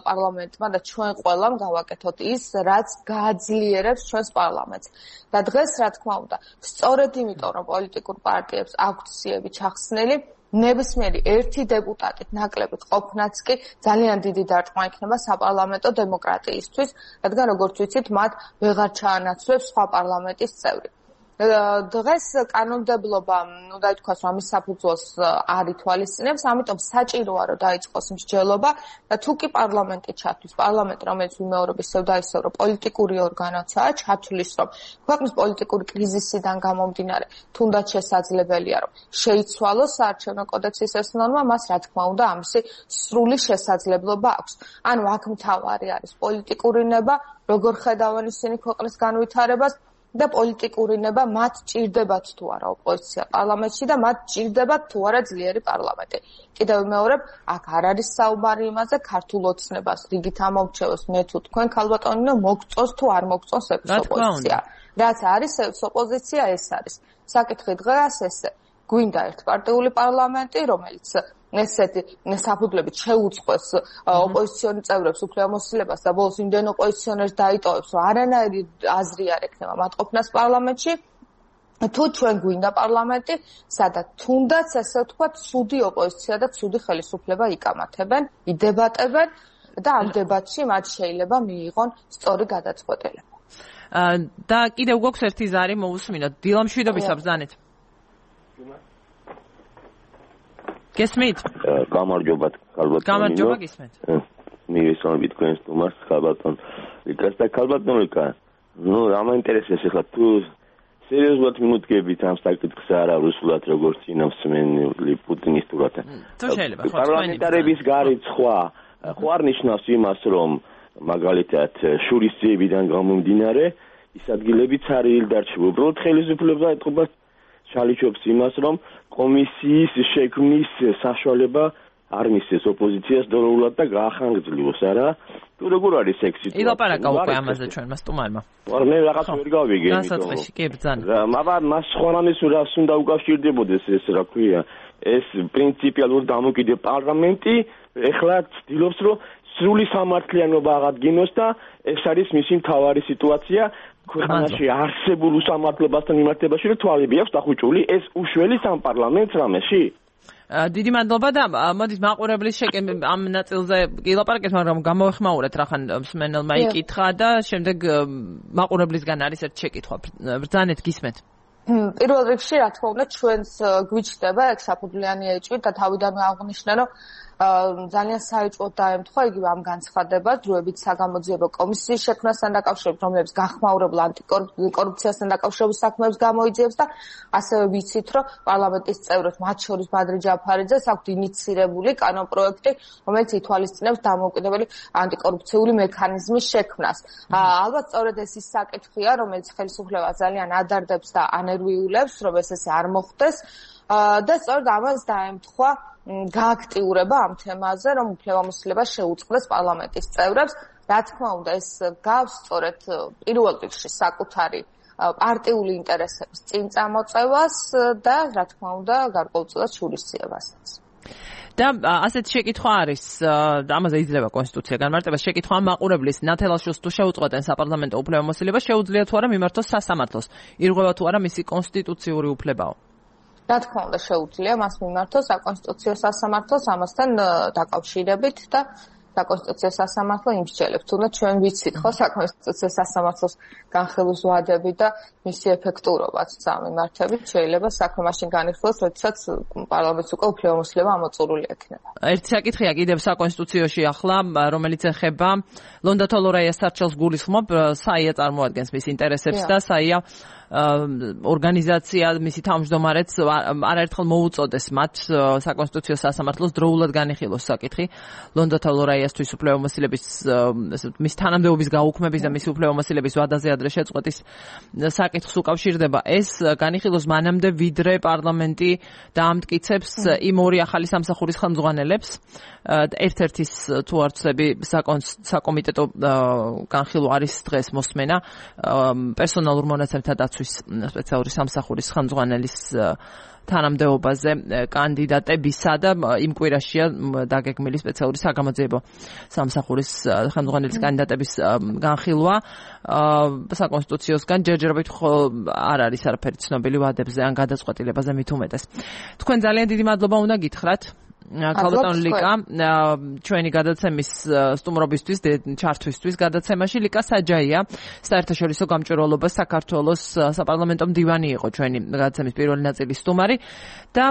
პარლამენტმა და ჩვენ ყველამ გავაკეთოთ ის, რაც გააძლიერებს ჩვენს პარლამენტს. და დღეს რა თქმა უნდა, სწორედ იმიტომ, რომ პოლიტიკურ პარტიებს აქვთ სიები ჩახსნილი, ნებისმიერი ერთი დეპუტატით ნაკლებით ყოფნაც კი ძალიან დიდი დარტყმა იქნება საპარლამენტო დემოკრატიისთვის, რადგან როგორც ვიცით, მათ ვეღარ ჩაანაცვლებს სხვა პარლამენტის წევრი. დღეს კანონმდებლობა, ნუ დაითქვას, რომ ამის საფუძველს არ ითვალისწინებს, ამიტომ საჭიროა, რომ დაიწყოს მსჯელობა და თუ კი პარლამენტი ჩათვლის, პარლამენტი, რომელიც ვიმეორებ ისევ და ისევ, რომ პოლიტიკური ორგანოა, ჩათვლის, რომ ქვეყნის პოლიტიკური კრიზისიდან გამომდინარე, თუნდაც შესაძლებელია, რომ შეიცვალოს საარჩევნო კოდექსის ეს ნორმა, მას რა თქმა უნდა, ამისი სრული შესაძლებლობა აქვს. ანუ აქ მთავარი არის პოლიტიკური ნება, როგორ ხედავენ ისინი ქვეყნის განვითარებას და პოლიტიკური ნება მათ ჭირდებათ თუ არა ოპოზიცია პარლამენტში და მათ ჭირდებათ თუ არა ძლიერი პარლამენტი. კიდევ ვიმეორებ, აქ არ არის საუბარი იმაზე ქართულ ოცნებას რიგით ამოვრჩევოს მე თუ თქვენ ქალბატონინო მოგწონს თუ არ მოგწონს ეს ოპოზიცია. რაც არის ეს ოპოზიცია ეს არის. საკითხი დღეს ესე გვინდა ერთპარტიული პარლამენტი, რომელიც ესეთი საფუძვლებით შეუწყოს ოპოზიციონერ წევრებს უფლებამოსილებას და ბოლოს იმდენ ოპოზიციონერს დაიტოვებს, რომ არანაირი აზრი არ ექნება მათ ყოფნას პარლამენტში. თუ ჩვენ გვინდა პარლამენტი, სადაც თუნდაც ესე ვთქვათ, ცუდი ოპოზიცია და ცუდი ხელისუფლება იკამათებენ, იდებატებენ და ამ დებატში მათ შეიძლება მიიღონ სწორი გადაწყვეტილება. და კიდევ გვაქვს ერთი ზარი მოусმინოთ. დილამშვიდობის აბზანეთ. გესმით? გამარჯობა, ქალბატონო. გამარჯობა, გისმენთ. მივესალმებით თქვენს თომას, ქალბატონ. რიკას და ქალბატონ რიკა. ნუ ამაინტერესებს ახლა თუ სერიოზულად მიმოდგებით ამ საკითხს არა რუსულად როგორც წინამსმენელი პუტინისტურად. თუ შეიძლება, ხო, პარლამენტარების გარეთ ხო არ ნიშნავს იმას, რომ მაგალითად შურისძიებიდან გამომდინარე ის ადგილებიც არ ილდარჩება. უბრალოდ ხელისუფლება ეთყობა ჩალიჩობს იმას, რომ კომისიის შექმნის საშუალება არ მისცეს ოპოზიციას დორულად და გაახანგრძლიოს, არა? თუ როგორ არის ეს სიტუაცია? ილაპარაკა უკვე ამაზე ჩვენმა სტუმარმა. მე რაღაც ვერ გავიგე, იმიტომ. განსაწყისში კი ბრძანა. მაგრამ მას სხვა რამეს რას უნდა უკავშირდებოდეს ეს რა ქვია? ეს პრინციპიალურ დამოკიდებ პარლამენტი ეხლა ცდილობს, რომ სრული სამართლიანობა აღადგინოს და ეს არის მისი მთავარი სიტუაცია. ქვეყანაში არსებულ უსამართლობასთან მიმართებაში რომ თვალები აქვს დახუჭული ეს უშველის ამ პარლამენტს რამეში? დიდი მადლობა და მოდით მაყურებლის ამ ნაწილზე ილაპარაკეთ, მაგრამ გამოვეხმაურეთ რახან მსმენელმა იკითხა და შემდეგ მაყურებლისგან არის ერთ შეკითხვა. ბრძანეთ გისმენთ. პირველ რიგში რა თქმა უნდა ჩვენს გვიჩნდება ეგ საფუძვლიანი ეჭვით და თავიდანვე აღნიშნე რომ ძალიან საეჭვოდ დაემთხვა იგივე ამ განცხადებას დროებით საგამოძიებო კომისიის შექმნასთან დაკავშირებით, რომლებიც გახმაურებულ ანტიკორუფციასთან დაკავშირებულ საქმეებს გამოიძიებს და ასევე ვიცით, რომ პარლამენტის წევრებს, მათ შორის ბადრი ჯაფარიძეს აქვთ ინიცირებული კანონპროექტი, რომელიც ითვალისწინებს დამოუკიდებელი ანტიკორუფციული მექანიზმის შექმნას. ალბათ სწორედ ეს ის საკითხია, რომელიც ხელისუფლებას ძალიან ადარდებს და ანერვიულებს, რომ ეს ესე არ მოხდეს და სწორედ ამას დაემთხვა გააქტიურება ამ თემაზე, რომ უფლებამოსილება შეუწყდეს პარლამენტის წევრებს. რა თქმა უნდა, ეს გავს სწორედ პირველ რიგში საკუთარი პარტიული ინტერესების წინ წამოწევას და რა თქმა უნდა, გარკვეულწილად შურისძიებასაც. და ასეთი შეკითხვა არის, ამაზე იძლევა კონსტიტუცია განმარტებას, შეკითხვა მაყურებლის ნათელაშვილს თუ შეუწყვეტენ საპარლამენტო უფლებამოსილება, შეუძლია თუ არა მიმართოს სასამართლოს, ირღვევა თუ არა მისი კონსტიტუციური უფლებაო. რა თქმა უნდა, შეუძლია მას მიმართოს საკონსტიტუციო სასამართლოს ამასთან დაკავშირებით და საკონსტიტუციო სასამართლო იმსჯელებს. თუნდაც ჩვენ ვიცით ხო საკონსტიტუციო სასამართლოს განხილვის ვადები და მისი ეფექტურობაც ამ მიმართებით შეიძლება საქმე მაშინ განიხილოს, როდესაც პარლამენტს უკვე უფლებამოსილება ამოწურული ექნება. ერთი საკითხია კიდევ საკონსტიტუციაში ახლა, რომელიც ეხება ლონდა თოლორაიას სარჩელს გულისხმობ, საია წარმოადგენს მის ინტერესებს და საია ორგანიზაცია მისი თავმჯდომარეც არაერთხელ მოუწოდეს მათ საკონსტიტუციო სასამართლოს დროულად განიხილოს საკითხი ლონდა თოლორაიასთვის უფლებამოსილების მის თანამდებობის გაუქმების და მისი უფლებამოსილების ვადაზე ადრე შეწყვეტის საკითხს უკავშირდება. ეს განიხილოს მანამდე, ვიდრე პარლამენტი დაამტკიცებს იმ ორი ახალი სამსახურის ხელმძღვანელებს, ერთ-ერთის თუ არ ვცდები საკომიტეტო განხილვა არის დღეს მოსმენა პერსონალურ მონაცემთა დაცვის სპეციალური სამსახურის ხელმძღვანელის თანამდებობაზე კანდიდატებისა და იმ კვირაშია დაგეგმილი სპეციალური საგამოძიებო სამსახურის ხელმძღვანელის კანდიდატების განხილვა საკონსტიტუციოსგან ჯერჯერობით არ არის არაფერი ცნობილი ვადებზე ან გადაწყვეტილებაზე მით უმეტეს. თქვენ ძალიან დიდი მადლობა უნდა გითხრათ. ქალბატონ ლიკა, ჩვენი გადაცემის სტუმრობისთვის, ჩართვისთვის გადაცემაში ლიკა საჯაია, საერთაშორისო გამჭვირვალობა საქართველოს საპარლამენტო მდივანი იყო ჩვენი გადაცემის პირველი ნაწილის სტუმარი და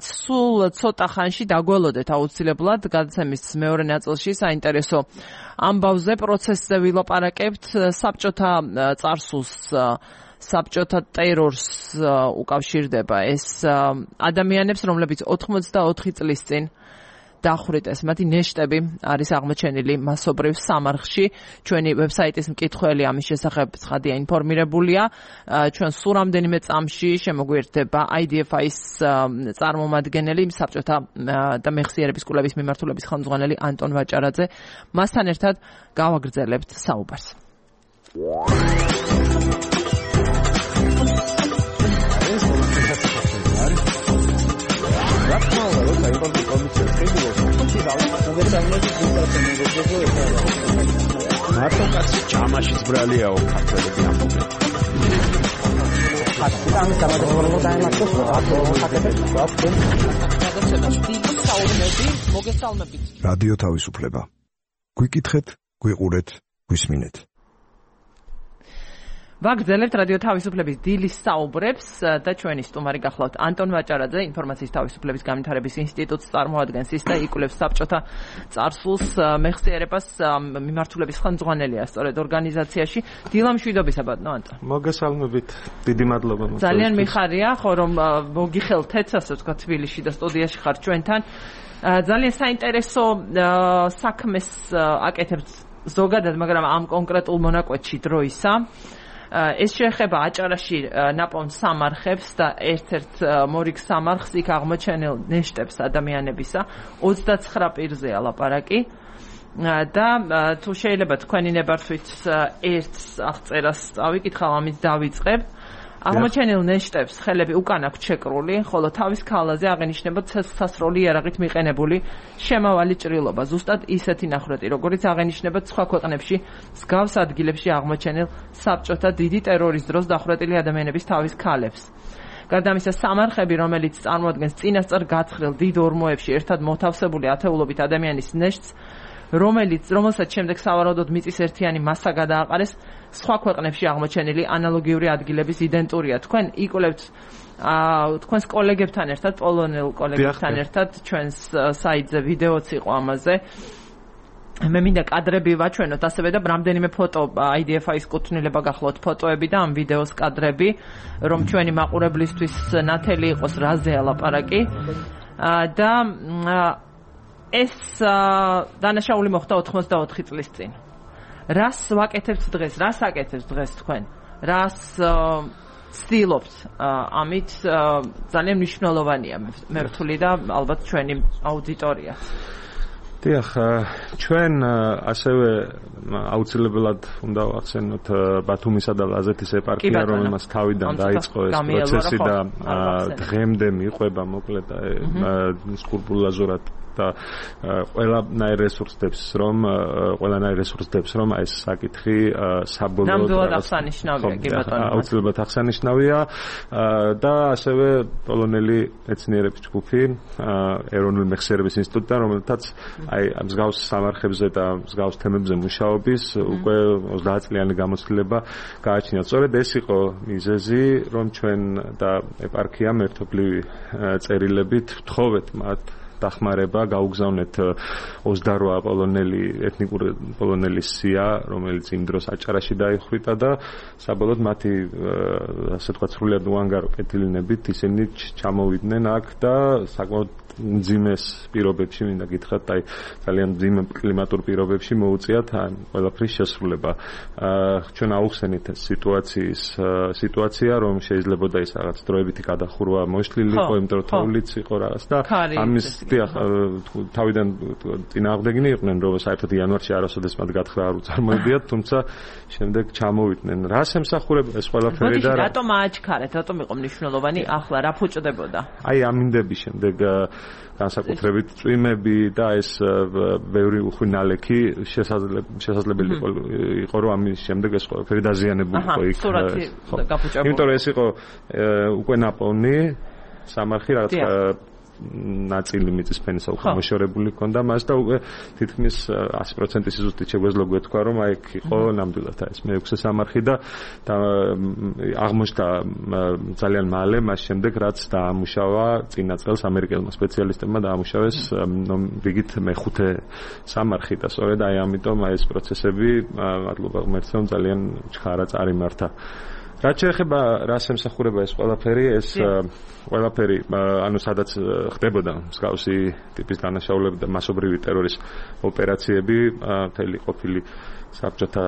სულ ცოტა ხანში დაგველოდეთ აუცილებლად გადაცემის მეორე ნაწილში საინტერესო ამბავზე, პროცესზე ვილაპარაკებთ, საბჭოთა წარსულს საბჭოთა ტერორს უკავშირდება ეს ადამიანებს, რომლებიც 84 წლის წინ დახვრიტეს. მათი ნეშტები არის აღმოჩენილი მასობრივ სამარხში. ჩვენი ვებსაიტის მკითხველი ამის შესახებ ცხადია ინფორმირებულია. ჩვენ სულ რამდენიმე წამში შემოგვიერთდება IDF-ის წარმომადგენელი, საბჭოთა და მეხსიერების კულების მიმართულების ხელმძღვანელი ანტონ ვაჭარაძე. მასთან ერთად გავაგრძელებთ საუბარს. მარტოკაც ჯამაშიც ბრალიაო ქართველები ამბობენ. რადიო თავისუფლება. გვიკითხეთ, გვიყურეთ, გვისმინეთ. ვაგრძელებთ რადიო თავისუფლების დილის საუბრებს და ჩვენი სტუმარი გახლავთ ანტონ ვაჭარაძე, ინფორმაციის თავისუფლების განვითარების ინსტიტუტს წარმოადგენს ის და იკვლევს საბჭოთა წარსულს, მეხსიერებას, მიმართულების ხელმძღვანელია სწორედ ორგანიზაციაში. დილა მშვიდობისა ბატონო ანტონ. მოგესალმებით, დიდი მადლობა. ძალიან მიხარია, ხო რომ მოგიხელთეთ, ასე ვთქვათ, თბილისში და სტუდიაში ხარ ჩვენთან. ძალიან საინტერესო საქმეს აკეთებთ ზოგადად, მაგრამ ამ კონკრეტულ მონაკვეთში დროისა. ეს შეეხება აჭარაში ნაპოვნ სამარხებს და ერთ-ერთ მორიგ სამარხს იქ აღმოჩენილ ნეშტებს ადამიანებისა 29 პირზეა ლაპარაკი და თუ შეიძლება თქვენი ნებართვით ერთს აღწერას წავიკითხავ, ამით დავიწყებ. აღმოჩენილ ნეშტებს ხელები უკან აქვს ჩეკრული, ხოლო თავის ქალაზე აღენიშნება ცეცხლსასროლი იარაღით მიყენებული შემავალი ჭრილობა, ზუსტად ისეთი ნახრეთი, როგორც აღენიშნება სხვა ქვეყნებში მსგავს ადგილებში აღმოჩენილ საბჭოთა დიდი ტერორის დროს დახვრეტილი ადამიანების თავის ქალებს. გარდა ამისა, სამარხები, რომელიც წარმოადგენს წინასწარ გათხრილ დიდ ორმოებში ერთად მოთავსებული ათეულობით ადამიანის ნეშტს, რომელსაც შემდეგ სავარაუდოდ მიწის ერთიანი მასა გადააყარეს, სხვა ქვეყნებში აღმოჩენილი ანალოგიური ადგილების იდენტურია. თქვენ იკვლევთ თქვენს კოლეგებთან ერთად, პოლონელ კოლეგებთან ერთად ჩვენს საიტზე ვიდეოც იყო ამაზე. მე მინდა კადრები ვაჩვენოთ, ასევე და რამდენიმე ფოტო IDF-ის კუთვნილება გახლავთ ფოტოები და ამ ვიდეოს კადრები, რომ ჩვენი მაყურებლისთვის ნათელი იყოს რაზეა ლაპარაკი. და ეს დანაშაული მოხდა 84 წლის წინ. რას ვაკეთებთ დღეს? რას აკეთებთ დღეს თქვენ? რას ცდილობთ? ამით ძალიან მნიშვნელოვანია მე ვთვლი და ალბათ ჩვენი აუდიტორიაც. დიახ, ჩვენ ასევე აუცილებლად უნდა ვახსენოთ ბათუმისა და ლაზეთის ეპარქია, რომელმაც თავიდან დაიწყო ეს პროცესი და დღემდე მიყვება მოკლედ სკრუპულოზურად და ყველანაირ რესურსებს რომ ეს საკითხი საბოლოოდ აუცილებლად აღსანიშნავია და ასევე პოლონელი მეცნიერების ჯგუფი ეროვნული მეხსიერების ინსტიტუტი, რომელთაც აი მსგავს სამარხებზე და მსგავს თემებზე მუშაობის უკვე 30 წლიანი გამოცდილება გააჩნიათ. სწორედ ეს იყო მიზეზი, რომ ჩვენ და ეპარქიამ ერთობლივი წერილებით ვთხოვეთ მათ დახმარება, გაუგზავნეთ 28 პოლონელი ეთნიკური პოლონელი სია, რომელიც იმ დროს აჭარაში დაიხვრიტა და საბოლოოდ მათი ასე ვთქვათ სრულიად უანგარო კეთილინებით ისინი ჩამოვიდნენ აქ და საკმაოდ მძიმეს პირობებში, მინდა გითხრათ, აი ძალიან მძიმე კლიმატურ პირობებში მოუწიათ ყველაფრის შესრულება. ჩვენ აუხსენით ეს სიტუაცია, რომ შეიძლებოდა ის რაღაც დროებითი გადახურვა მოშლილიყო, იმიტომ რომ თოვლიც იყო რაღაც და ამის თავიდან წინააღმდეგნი იყვნენ, რომ საერთოდ იანვარში არასოდეს მათ გათხრა არ უწარმოებიათ, თუმცა შემდეგ ჩამოვიდნენ. რას ემსახურება ეს ყველაფერი და რატომ აჩქარეთ, რატომ იყო მნიშვნელოვანი ახლა რა ფუჭდებოდა? აი ამინდების შემდეგ განსაკუთრებით წვიმები და ეს ბევრი უხვი ნალექი შესაძლებელი იყო რომ ამის შემდეგ ეს ყველაფერი დაზიანებულიყო იქ. იმიტომ რომ ეს იყო უკვე ნაპოვნი სამარხი რაღაც ნაწილი მიწისფენის უკვე მოშორებული ჰქონდა მას და უკვე თითქმის 100% სიზუსტით შეგვეძლო გვეთქვა რომ აი იქ იყო ნამდვილად ეს მე-6 სამარხი და აღმოჩნდა ძალიან მალე მას შემდეგ რაც დაამუშავა წინა წელს ამერიკელმა სპეციალისტებმა დაამუშავეს რიგით მე-5 სამარხი და სწორედ აი ამიტომ აი ეს პროცესები მადლობა ღმერთს ძალიან ჩხარა წარიმართა. რაც შეეხება რას ემსახურება ეს ყველაფერი, ეს ყველაფერი ანუ სადაც ხდებოდა მსგავსი ტიპის დანაშაულები და მასობრივი ტერორის ოპერაციები, მთელი ყოფილი საბჭოთა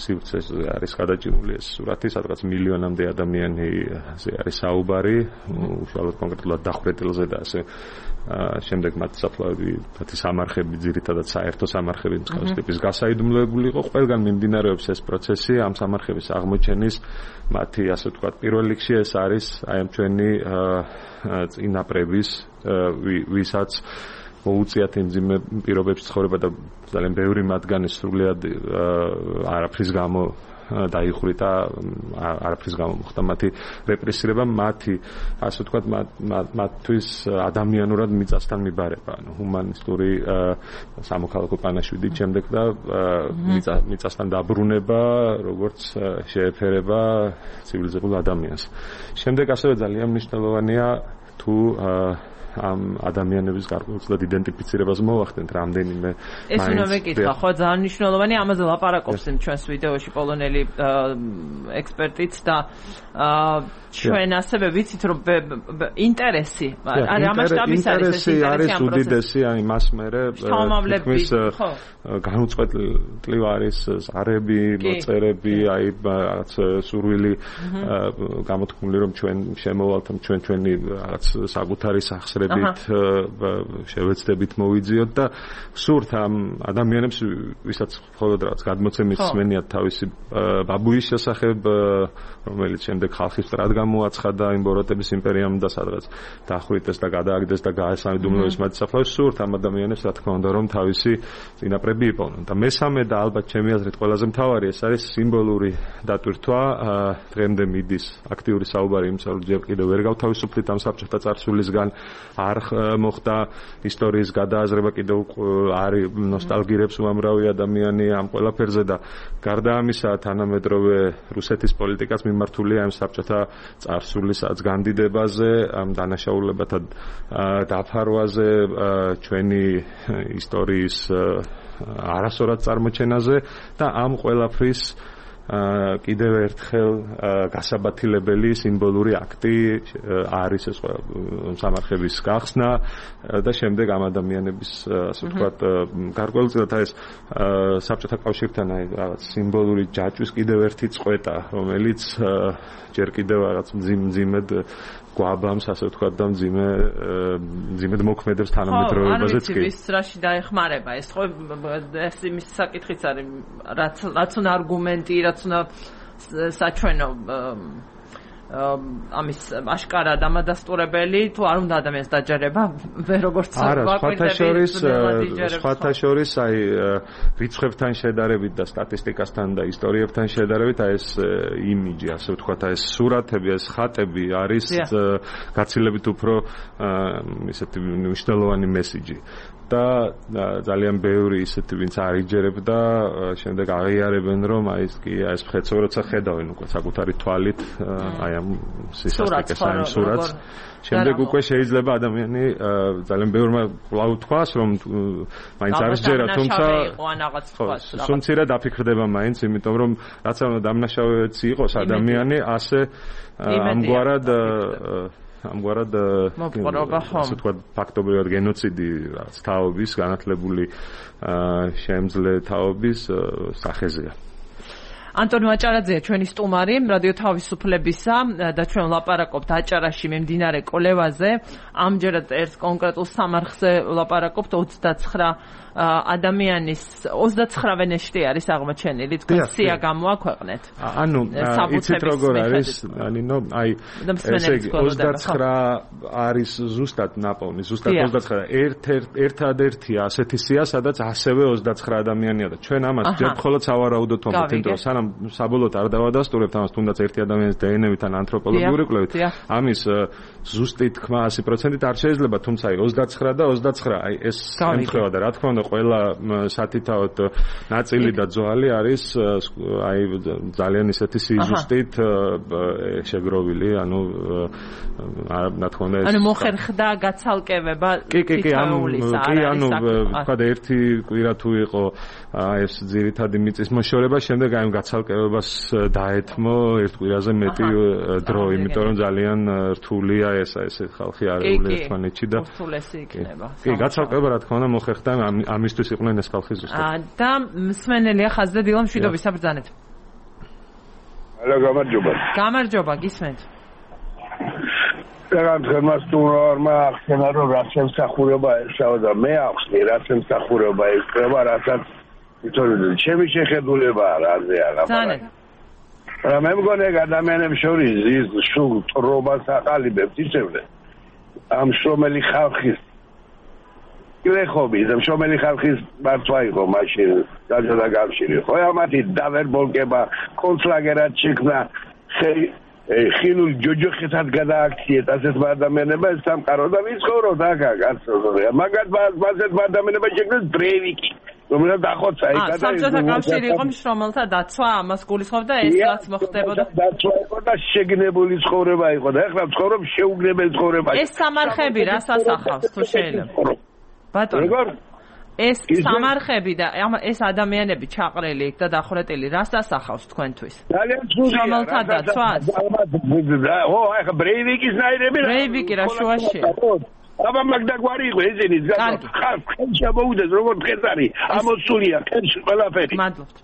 სივრცეზე არის გადაჭიმული ეს სურათი, სადღაც მილიონამდე ადამიანზე არის საუბარი, უშუალოდ კონკრეტულად დახვრეტილზე და ასე შემდეგ მათ საფლავები, მათი სამარხები, ძირითადად საერთო სამარხები მსგავსი ტიპის გასაიდუმლოებული იყო. ყველგან მიმდინარეობს ეს პროცესი, ამ სამარხების აღმოჩენის მათი ასე ვთქვათ პირველ რიგში ეს არის აი ამ ჩვენი წინაპრების ვისაც მოუწიათ იმ ძიმე პირობებში ცხოვრება და ძალიან ბევრი მათგანი სრულიად არაფრის გამო დაიხვრიტა, არაფრის გამო მოხდა მათი რეპრესირება, მათი ასე ვთქვათ მათთვის ადამიანურად მიწასთან მიბარება, ანუ ჰუმანისტური სამოქალაქო პანაშვიდით შემდეგ და მიწასთან დაბრუნება, როგორც შეეფერება ცივილიზებულ ადამიანს. შემდეგ ასევე ძალიან მნიშვნელოვანია თუ ამ ადამიანების გარკვეულწილად იდენტიფიცირებას მოვახდენთ რამდენიმე ეს უნდა მეკითხა, ხო, ძალიან მნიშვნელოვანია, ამაზე ლაპარაკობს ჩვენს ვიდეოში პოლონელი ექსპერტიც და ჩვენ ასევე ვიცით რომ ინტერესი არ ამასშტაბის არის უდიდესი, აი მას მერე თითქმის განუწყვეტლივ არის ზარები, მოწერები, აი რაღაც სურვილი გამოთქმული რომ ჩვენ შემოვალთ ჩვენი რაღაც საკუთარი სახსრებით შევეცდებით მოვიძიოთ და სურთ ამ ადამიანებს ვისაც მხოლოდ რაღაც გადმოცემის სმენიათ თავისი ბაბუის შესახებ, რომელიც შემდეგ ხალხის მტრად გამოაცხადა იმ ბოროტების იმპერიამ და სადღაც დახვრიტეს და გადააგდეს და გაესაიდუმლოეს მათი საფლავი, სურთ ამ ადამიანებს რა თქმა უნდა რომ თავისი წინაპრები იპოვნონ. და მესამე და ალბათ ჩემი აზრით ყველაზე მთავარი ეს არის სიმბოლური დატვირთვა. დღემდე მიდის აქტიური საუბარი იმისა, რომ ჯერ კიდევ ვერ გავთავისუფლით ამ საბჭოთა წარსულისგან, არ მოხდა ისტორიის გადააზრება, კიდევ არის ნოსტალგირებს უამრავი ადამიანი ამ ყველაფერზე და გარდა ამისა თანამედროვე რუსეთის პოლიტიკაც მიმართულია ამ საბჭოთა წარსულისაც განდიდებაზე, ამ დანაშაულებათა დაფარვაზე, ჩვენი ისტორიის არასწორად წარმოჩენაზე და ამ ყველაფრის კიდევ ერთხელ გასაბათილებელი სიმბოლური აქტი არის ეს სამარხების გახსნა და შემდეგ ამ ადამიანების ასე ვთქვათ გარკვეულწილად ეს საბჭოთა კავშირთან რაღაც სიმბოლური ჯაჭვის კიდევ ერთი წყვეტა, რომელიც ჯერ კიდევ რაღაც მძიმედ გვაბამს, ასე ვთქვათ და მძიმედ მოქმედებს თანამედროვეობაზეც კი. არის რაში დაეხმარება ეს ხო ეს იმის საკითხიც არის რაც უნდა არგუმენტი, რაც უნდა საჩვენო ამის აშკარა დამადასტურებელი თუ არ უნდა ადამიანს დაჯერება როგორც სხვათა შორის აი რიცხვებთან შედარებით და სტატისტიკასთან და ისტორიებთან შედარებით აი ეს იმიჯი, ასე ვთქვათ, აი ეს სურათები, ეს ხატები არის გაცილებით უფრო ისეთი მნიშვნელოვანი მესიჯი. და ძალიან ბევრი ისეთი ვინც არიჯერებდა შემდეგ აღიარებენ რომ აი ეს კი ეს მხეცო როცა ხედავენ უკვე საკუთარი თვალით აი ამ სისასტიკეს ამ სურათს შემდეგ უკვე შეიძლება ადამიანი ძალიან ბევრმა კვლავ თქვას რომ მაინც არისჯერა თუმცა სუმცირად აფიქრდება მაინც იმიტომ რომ რაც ამ დამნაშავეც იყოს ადამიანი ასე ამგვარად ასე თქვა ფაქტობრივად გენოციდი თაობის განათლებული შემძლე თაობის სახეზეა. ანტონი აჭარაძეა ჩვენი სტუმარი რადიო თავისუფლებისა და ჩვენ ვლაპარაკობთ აჭარაში მიმდინარე კოლევაზე. ამჯერად ერთ კონკრეტულ სამარხზე ვლაპარაკობთ 29 ადამიანის 29 ვენეშტი არის აღმოჩენილი. თქვენ სია გამოაქვეყნეთ. ანუ იცით როგორ არის, ნინო, აი ესე იგი 29 არის ზუსტად ნაპოვნი, ზუსტად 29 ერთადერთია ასეთი სია, სადაც ასევე 29 ადამიანია და ჩვენ ამას ჯერ მხოლოდ სავარაუდოდ ვამბობთ, იმიტომ რომ სანამ საბოლოოდ არ დავადასტურებთ ამას, თუნდაც ერთი ადამიანის დნმ-ით ან ანთროპოლოგიური კვლევით, ამის ზუსტი თქმა 100%-ით არ შეიძლება, თუმცა აი 29 და 29, აი ეს ემთხვევა და რა თქმა უნდა ყველა სათითაოდ ნაწილი და ძვალი არის აი ძალიან ისეთი სიზუსტით შეგროვილი, ანუ რა თქმა უნდა ეს ანუ მოხერხდა გაცალკევება თითოეულისა კი ანუ თქვა და ერთი კვირა თუ იყო ეს ძირითადი მიწის მოშორება, შემდეგ აი გაცალკევებას დაეთმო ერთ კვირაზე მეტი დრო, იმიტომ რომ ძალიან რთულია ეს ხალხი არეული ერთმანეთში და რთულესი იქნება. კი, გაცალკევება რა თქმა უნდა მოხერხდა ამისთვის იყვნენ ეს ხალხი ზუსტად. და მსმენელია ხაზზე დილა მშვიდობის საბრძანეთ. ალო, გამარჯობა. გამარჯობა, გისმენთ. რაღაც მასტურმა ახსენა რომ რაც ემსახურება ესაო და მე ახსნი რაც ემსახურება ესება, რასაც ითოლი ჩემი შეხედულებაა რაზე არა. ძალიან. რა მე მგონი ადამიანებს შორის ის სულ ტრობას აყალიბებს ისევ ამ შრომელი ხალხის გლეხობი და შრომელი ხალხის მართვა იყო მაშინ დაჯერა გამშირი ხო ამათი დავერბოლკება კონცლაგერად შექმნა ხილულ ჯოჯოხეთად გადააქციეთ ასეთ ადამიანება ეს სამყარო და ვიცხოვრო დაგა კაცო მაგათ ბაზეთ ადამიანება შექმნეს ბრეივიკი რომელიც ახოცა იქა და საბჭოთა კავშირი იყო მშრომელთა დაცვა ამას გულისხმობდა ეს რაც მოხდებოდა დაცვა იყო და შეგნებული ცხოვრება იყო და ეხლა ცხოვრობ შეუგნებელი ცხოვრება ეს სამარხები რას ასახავს თუ შეიძლება ბატონო ეს სამარხები და ეს ადამიანები ჩაყრილი იქ და დახვრეტილი რას ასახავს თქვენთვის ძალიან ცუდია მშრომელთა დაცვას ო ახლა ბრეივიკის ნაირები ბრეივიკი რა შუაშია აბა მაგდაგვარი იყო ეზენის გასა ხალხი შემოუდეს როგორც დღეს არის ამოსულია კენში ყველაფერი მადლობთ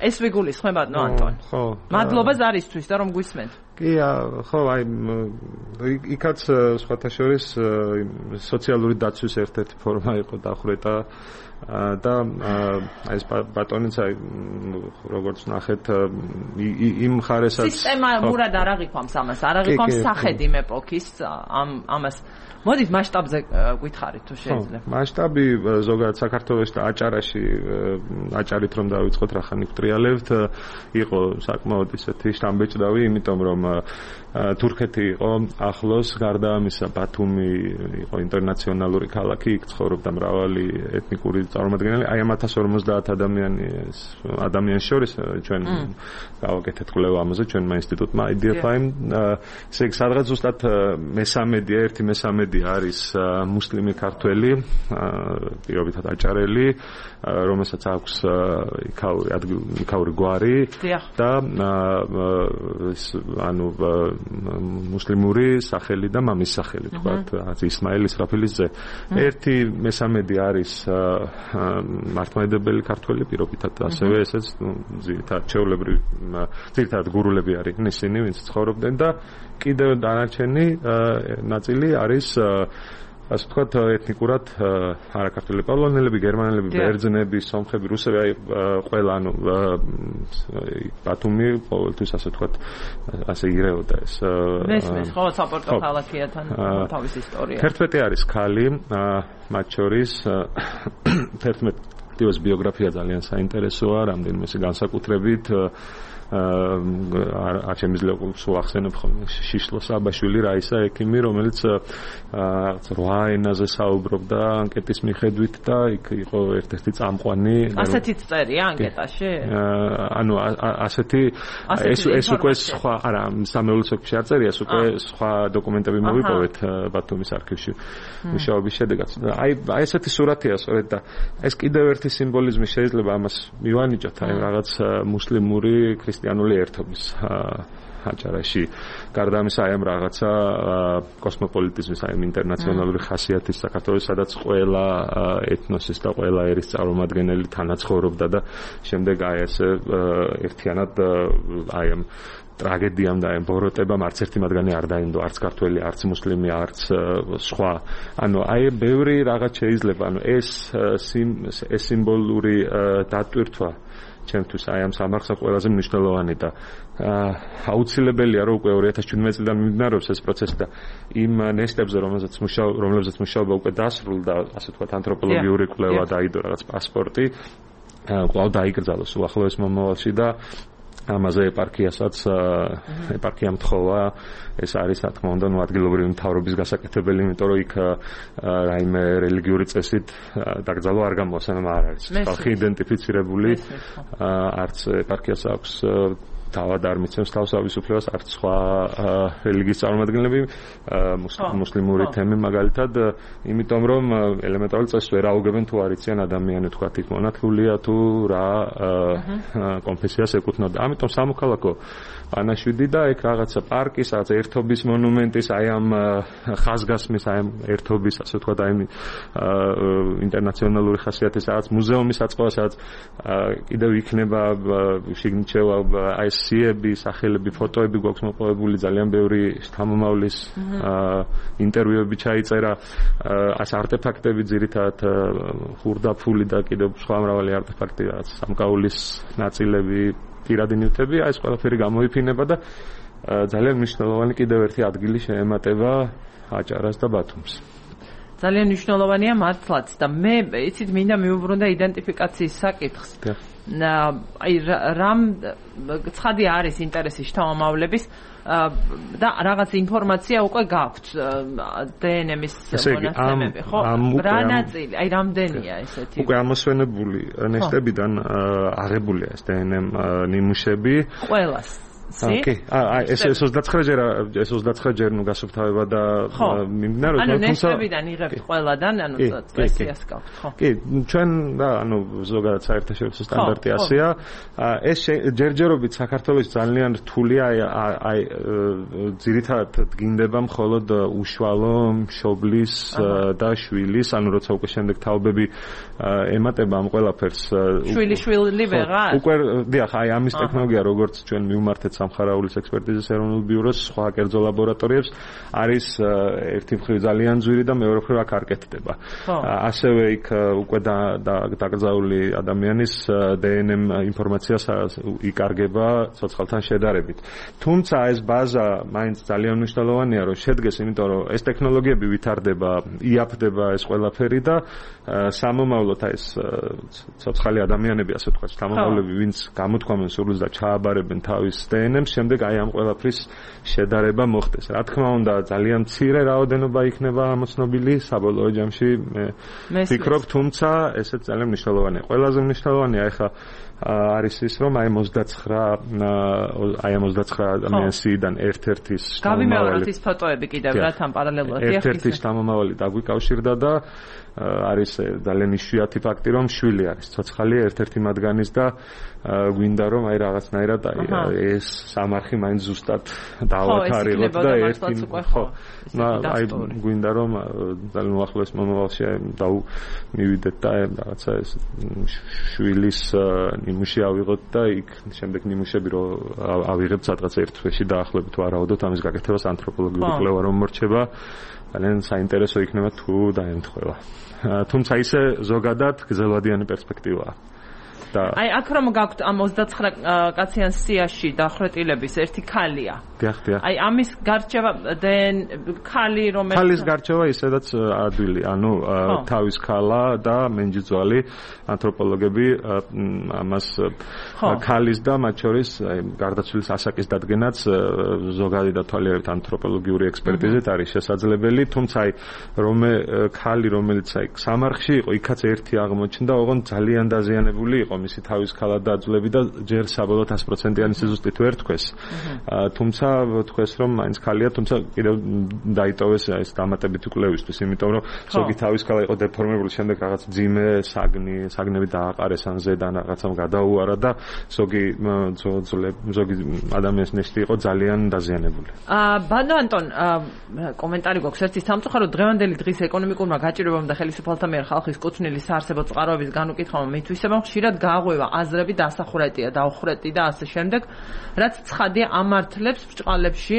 ეს ვიგულისხმებათ ნო ანტონ ხო მადლობა ზარისთვის და რომ გვისმენთ კი ხო აი იქაც სხვათა შორის სოციალური დაცვის ერთ-ერთი ფორმა იყო დახვრეტა და აი ეს ბატონიც აი როგორც ნახეთ იმ ხარესაც სისტემა მურად არ აღიქვამს ამას არ აღიქვამს სახედი მეპოქის ამას მოდით მასშტაბზე გითხარით თუ შეიძლება მასშტაბი ზოგადად საქართველოში და აჭარაში აჭარით რომ დავიწყოთ რა ხანი ვტრიალებთ იყო საკმაოდ ისეთი შთამბეჭდავი იმიტომ რომ თურქეთი იყო ახლოს, გარდა ამისა ბათუმი იყო ინტერნაციონალური ქალაქი, იქ ცხოვრობდა მრავალი ეთნიკური წარმომადგენელი, აი ამ 1050 ადამიანის შორის ჩვენ გავაკეთეთ კვლევა ამაზე ჩვენმა ინსტიტუტმა IDFI-მ, ესე იგი სადღაც ზუსტად ერთი მესამედი არის მუსლიმი ქართველი, პირობითად აჭარელი, რომელსაც აქვს იქაური გვარი და მუსლიმური სახელი და მამის სახელი, თქვათ, ისმაილ ისრაფილის ძე. ერთი მესამედი არის მართლმადიდებელი ქართველი, პირობითად ასევე ესეც ძირითადად გურულები არიან ისინი, ვინც ცხოვრობდნენ და კიდევ დანარჩენი ნაწილი არის ასე ვთქვათ, ეთნიკურად არაქართული პოლონელები, გერმანელები, ბერძნები, სომხები, რუსები, აი ყველა ბათუმი ყოველთვის ასე ვთქვათ, ასე იღებდა ეს. მესმის, ხო, საპორტო ქალაქია თან თავის ისტორია. 11 არის ქალი, მათ შორის 11-ის ბიოგრაფია ძალიან საინტერესოა, რამდენიმე განსაკუთრებით არ შემიძლია სულ ახსენებ ხოლმე შიშლო საბაშვილი, რაისა ექიმი, რომელიც 8 ენაზე საუბრობდა ანკეტის მიხედვით და იქ იყო ერთ-ერთი წამყვანი. ასეთიც წერია ანკეტაში? ანუ ასეთი ეს უკვე სხვა, არა, სამეულო სექტორში არ წერია, ეს უკვე სხვა დოკუმენტები მოვიპოვეთ ბათუმის არქივში მუშაობის შედეგად. აი ესეთი სურათია სწორედ და ეს კიდევ ერთი სიმბოლიზმი შეიძლება ამას მივანიჭოთ, აი რაღაც მუსლიმური ქრისტიანული ერთობის აჭარაში. გარდა ამისა, აი ამ რაღაცა კოსმოპოლიტიზმის, აი ინტერნაციონალური ხასიათის საქართველოს, სადაც ყველა ეთნოსის და ყველა ერის წარმომადგენელი თანაცხოვრობდა და შემდეგ აი ესე ერთიანად აი ამ ტრაგედიამ და ამ ბოროტებამ არც ერთი მათგანი არ დაინდო, არც ქართველი, არც მუსლიმი, არც სხვა. ანუ აი ბევრი რაღაც შეიძლება, ანუ ეს სიმბოლური დატვირთვა ჩემთვის აი ამ სამარხსა ყველაზე მნიშვნელოვანი და აუცილებელია რომ უკვე 2017 წლიდან მიმდინარეობს ეს პროცესი და იმ ნეშტებზე რომლებზეც მუშაობა უკვე დასრულდა, ასე ვთქვათ, ანთროპოლოგიური კვლევა დაიდო რაღაც პასპორტი, კვლავ დაიკრძალოს უახლოეს მომავალში და ამაზე ეპარქიამ თხოვა, ეს არის რა თქმა უნდა ადგილობრივი მთავრობის გასაკეთებელი, იმიტომ რომ იქ რაიმე რელიგიური წესით დაკრძალვა არ გამოასანა არ არის. ხალხი იდენტიფიცირებული, არც ეპარქიას აქვს თავად არ მიცემს თავს თავისუფლებას, არც სხვა რელიგიის წარმომადგენლები, მუსლიმური თემი მაგალითად, იმიტომ რომ ელემენტარული წესს ვერ აუგებენ თუ არ იციან ადამიანი, თქვათ, იქ მონათლულია თუ რა კონფესიას ეკუთვნოდა. ამიტომ სამოქალაქო პანაშვიდი და ეგ რაღაცა პარკის, რაღაც ერთობის მონუმენტის, აი ამ ხაზგასმის, აი ამ ერთობის, ასე ვთქვათ, აი ინტერნაციონალური ხასიათის რაღაც მუზეუმის აწყობა, სადაც კიდევ იქნება შიგნით შევა აი სიები, სახელები, ფოტოები გვაქვს მოპოვებული, ძალიან ბევრი შთამომავლის ინტერვიუები ჩაიწერა, ეს არტეფაქტები ძირითადად ხურდაფული და კიდევ სხვა მრავალი არტეფაქტი, რაც სამკაულის ნაწილები, პირადი ნივთები, ეს ყველაფერი გამოიფინება და ძალიან მნიშვნელოვანი კიდევ ერთი ადგილი შეემატება აჭარას და ბათუმს. ძალიან მნიშვნელოვანია მართლაც და მე იცით მინდა მიუბრუნდა იდენტიფიკაციის საკითხს. აი რამ ცხადი არის ინტერესი შთამომავლების და რაღაც ინფორმაცია უკვე გაქვთ დნმ-ის მონაცემები, ხო? რა ნაწილი, აი რამდენია ესეთი? უკვე ამოსვენებული ნეშტებიდან აღებულია ეს დნმ ნიმუშები. ყველას კი, ეს 29 ჯერ ნუ გასუფთავება და მიმდინარეობს, ანუ ნეშტებიდან იღებთ ყველადან, ანუ წესიას გაქვთ, ხო? კი, ჩვენ და ანუ ზოგადად საერთაშორისო სტანდარტი ასეა. ეს ჯერჯერობით საქართველოს ძალიან რთულია, აი ძირითადად დგინდება მხოლოდ უშუალო მშობლის და შვილის, ანუ როცა უკვე შემდეგ თაობები ემატება ამ ყველაფერს. შვილი ვეღარ? უკვე დიახ, აი ამის ტექნოლოგია, როგორც ჩვენ მივმართეთ სამხარაულის ექსპერტიზის ეროვნულ ბიუროს, სხვა კერძო ლაბორატორიებს, არის ერთი მხრივ ძალიან ძვირი და მეორე მხრივ აქ არ კეთდება. ასევე იქ უკვე დაკრძალული ადამიანის დნმ ინფორმაციას იკარგება ცოცხალთან შედარებით. თუმცა ეს ბაზა მაინც ძალიან მნიშვნელოვანია, რომ შედგეს, იმიტომ რომ ეს ტექნოლოგიები ვითარდება, იაფდება ეს ყველაფერი და სამომავლოდ ეს ცოცხალი ადამიანები, ასე ვთქვათ, სამომავლები, ვინც გამოთქვამენ სურვილს და ჩააბარებენ თავის დნმ-ს, დნმ-ს შემდეგ აი ამ ყველაფრის შედარება მოხდეს. Რა თქმა უნდა, ძალიან მცირე რაოდენობა იქნება ამოცნობილი საბოლოო ჯამში მე ვფიქრობ, თუმცა ესეც ძალიან მნიშვნელოვანია. ყველაზე მნიშვნელოვანია ახლა არის ის, რომ აი 29 ადამიანსიდან ერთ-ერთის გავიმეოროთ ის ფოტოები კიდევ რა თან პარალელურად ერთ-ერთის შთამომავალი დაგვიკავშირდა და არის ძალიან იშვიათი ფაქტი, რომ შვილი არის ცოცხალი ერთ-ერთი მათგანის და გვინდა რომ აი რაღაცნაირად ეს სამარხი მაინც ზუსტად დავათარიღოთ და ერთი აი გვინდა რომ ძალიან უახლოეს მომავალში მივიდეთ და რაღაცა ეს შვილის ნიმუში ავიღოთ და იქ შემდეგ ნიმუშები რო ავიღებთ სადღაც ერთ თვეში დაახლოებით ვარაუდოთ ამის გაკეთებას ანთროპოლოგიური კვლევა რომ მორჩება ძალიან საინტერესო იქნება თუ დაემთხვევა. თუმცა ისე ზოგადად გრძელვადიანი პერსპექტივაა. აი აქ რომ გაქვთ ამ 29 კაციან სიაში დახრეტილების ერთი ქალია. დიახ. აი ამის გარჩევა ქალი რომელიც ქალის გარჩევა ისედაც ადვილი, ანუ თავის ქალა და მენჯიძვალი ანთროპოლოგები ამას ქალის და მათ შორის გარდაცვლილის ასაკის დადგენაც ზოგადი და თვალიერით ანთროპოლოგიური ექსპერტიზით არის შესაძლებელი, თუმცა აი ქალი რომელიც აი სამარხში იყო, იქაც ერთი აღმოჩნდა, ოღონდ ძალიან დაზიანებული იყო მისი თავის ქალა და ძვლები და ჯერ საბოლოოდ 100%-იანი სიზუსტით ვერ თქვეს. თუმცა თქვეს რომ მაინც ქალია, თუმცა კიდევ დაიტოვეს ეს დამატებითი კვლევისთვის, იმიტომ რომ ზოგი თავის ქალა იყო დეფორმებული, შემდეგ რაღაც ძიმე საგნები დააყარეს ან ზედან რაღაცამ გადაუარა და ზოგი ადამიანის ნეშტი იყო ძალიან დაზიანებული. ბანო ანტონ, კომენტარი გვაქვს ერთი სამწუხარო დღევანდელი დღის ეკონომიკურმა გაჭირვებამ და ხელისუფალთა მიერ ხალხის კუთვნილი საარსებო წყაროების განუკითხავმა მითვისებამ ხშირად გააღვევა აზრები დასახურეტია, დაუხრეტი და ასე შემდეგ, რაც ცხადია ამართლებს ბრჭყალებში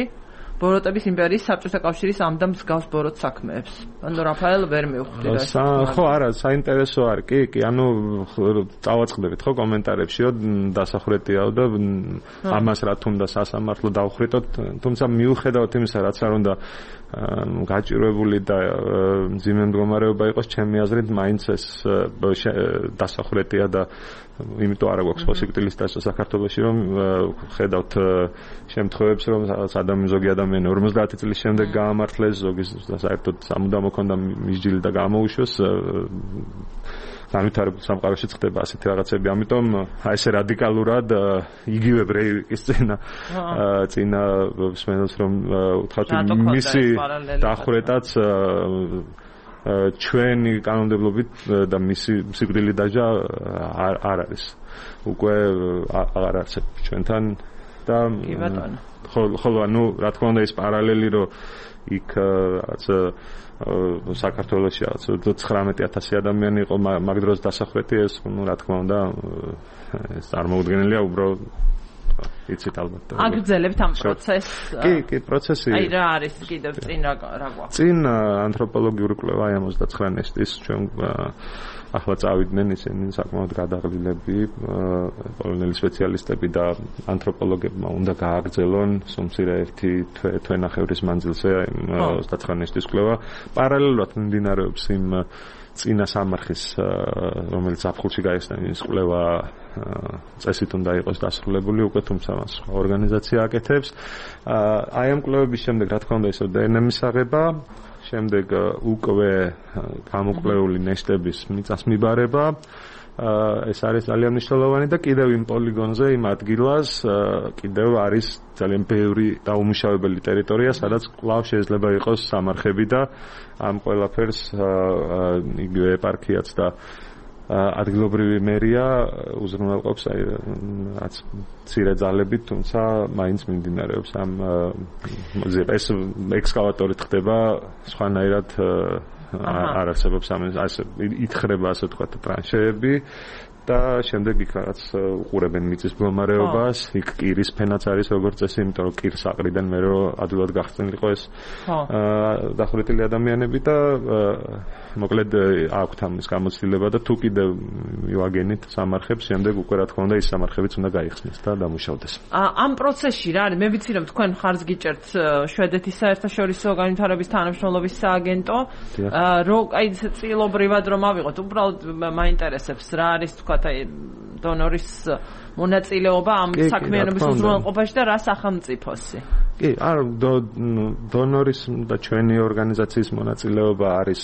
ბოროტების იმპერიის საბჭოთა კავშირის ამ და მსგავს ბოროტ საქმეებს. ანუ რაფაელ ვერ მივხვდი რა. ხო, არა, საინტერესო არ კი, ანუ წავაწყდებით ხო კომენტარებშიო დასახურეტიაო და ამას რა თუნდა სასამართლო დაუხრეტოთ, თუმცა მიუხედავად იმისა, რაც არ უნდა გაჭირვებული და მძიმე მდგომარეობა იყოს, ჩემი აზრით მაინც ეს დასახურეტია და იმიტომ არ აქვს პოსიქტილის დასწრა საქართველოში, რომ ხედავთ შემთხვევებს, რომ ზოგი ადამიანი 50 წლის შემდეგ გაამართლეს, ზოგი საერთოდ სამუდამო ქონდა მისჯილი და გამოუშვეს, განვითარებულ სამყაროში ხდება ასეთი რაღაცები, ამიტომ აი ესე რადიკალურად იგივე ბრეივიკის წინა მსმენელს რომ უთხრათ მისი დახრეტაც ჩვენი კანონმდებლობით და მისი სიკვდილი დაჟა არ არის. უკვე აღარ არსებობს ჩვენთან და ხოლო ანუ რა თქმა უნდა ის პარალელი რომ იქ რაც საქართველოში რაც 19,000 ადამიანი იყო მაგ დროს დასახრეტი ეს რა თქმა უნდა ეს წარმოუდგენელია უბრალოდ იცით ალბათ. აგრძელებთ ამ პროცესს? კი, პროცესი. აი რა არის კიდევ წინ რა გვაქვს? წინ ანთროპოლოგიური კვლევა 29 ნეშტის ჩვენ ახლა წავიდნენ ისინი საკმაოდ გადაღლილები, პოლონელი სპეციალისტები და ანთროპოლოგებმა უნდა გააგრძელონ სუმცირე ერთი თვენახევრის მანძილზე 29 ნეშტის კვლევა. პარალელურად მიმდინარეობს იმ წინა სამარხის რომელიც აფხულში გაიხსნა ის კვლევა წესით უნდა იყოს დასრულებული უკვე, თუმცა მას ორგანიზაცია აკეთებს. აი ამ კვლევების შემდეგ რა თქმა უნდა ისო დნმ-ის აღება, შემდეგ უკვე გამოკვლეული ნეშტების მიწას მიბარება. ეს არის ძალიან მნიშვნელოვანი და კიდევ იმ პოლიგონზე, იმ ადგილას კიდევ არის ძალიან ბევრი დაუმუშავებელი ტერიტორია, სადაც კვლავ შეიძლება იყოს სამარხები და ამ ყველაფერს იგივე ეპარქიაც და ადგილობრივი მერია უზრუნველყოფს რაც მცირე ძალებით, თუმცა მაინც მიმდინარეობს ამ ეს ექსკავატორით ხდება სხვანაირად არ არსებობს ასე ითხრება ასე ვთქვათ ტრანშეები და შემდეგ იქ რაღაც უყურებენ მიწის მდგომარეობას, იქ კირის ფენაც არის როგორც წესი, იმიტომ რომ კირს აყრიდან მე რომ ადვილად გახსნილიყო ეს დახურეტილი ადამიანები და მოკლედ აქვთ ამის გამოცდილება და თუ კიდევ მივაგენით სამარხებს, შემდეგ უკვე რა თქმა უნდა ის სამარხებიც უნდა გაიხსნეს და დამუშავდეს. ამ პროცესში რა არის? მე ვიცი რომ თქვენ ხარს გიჭერთ შვედეთის საერთაშორისო განვითარების თანამშრომლობის სააგენტო, რომ აი წილობრივად რომ ავიღოთ, უბრალოდ მაინტერესებს რა არის თქვა დონორის მონაწილეობა ამ საქმიანობის უზრუნველყოფაში და რა სახელმწიფოსი? კი, არ დონორის და ჩვენი ორგანიზაციის მონაწილეობა არის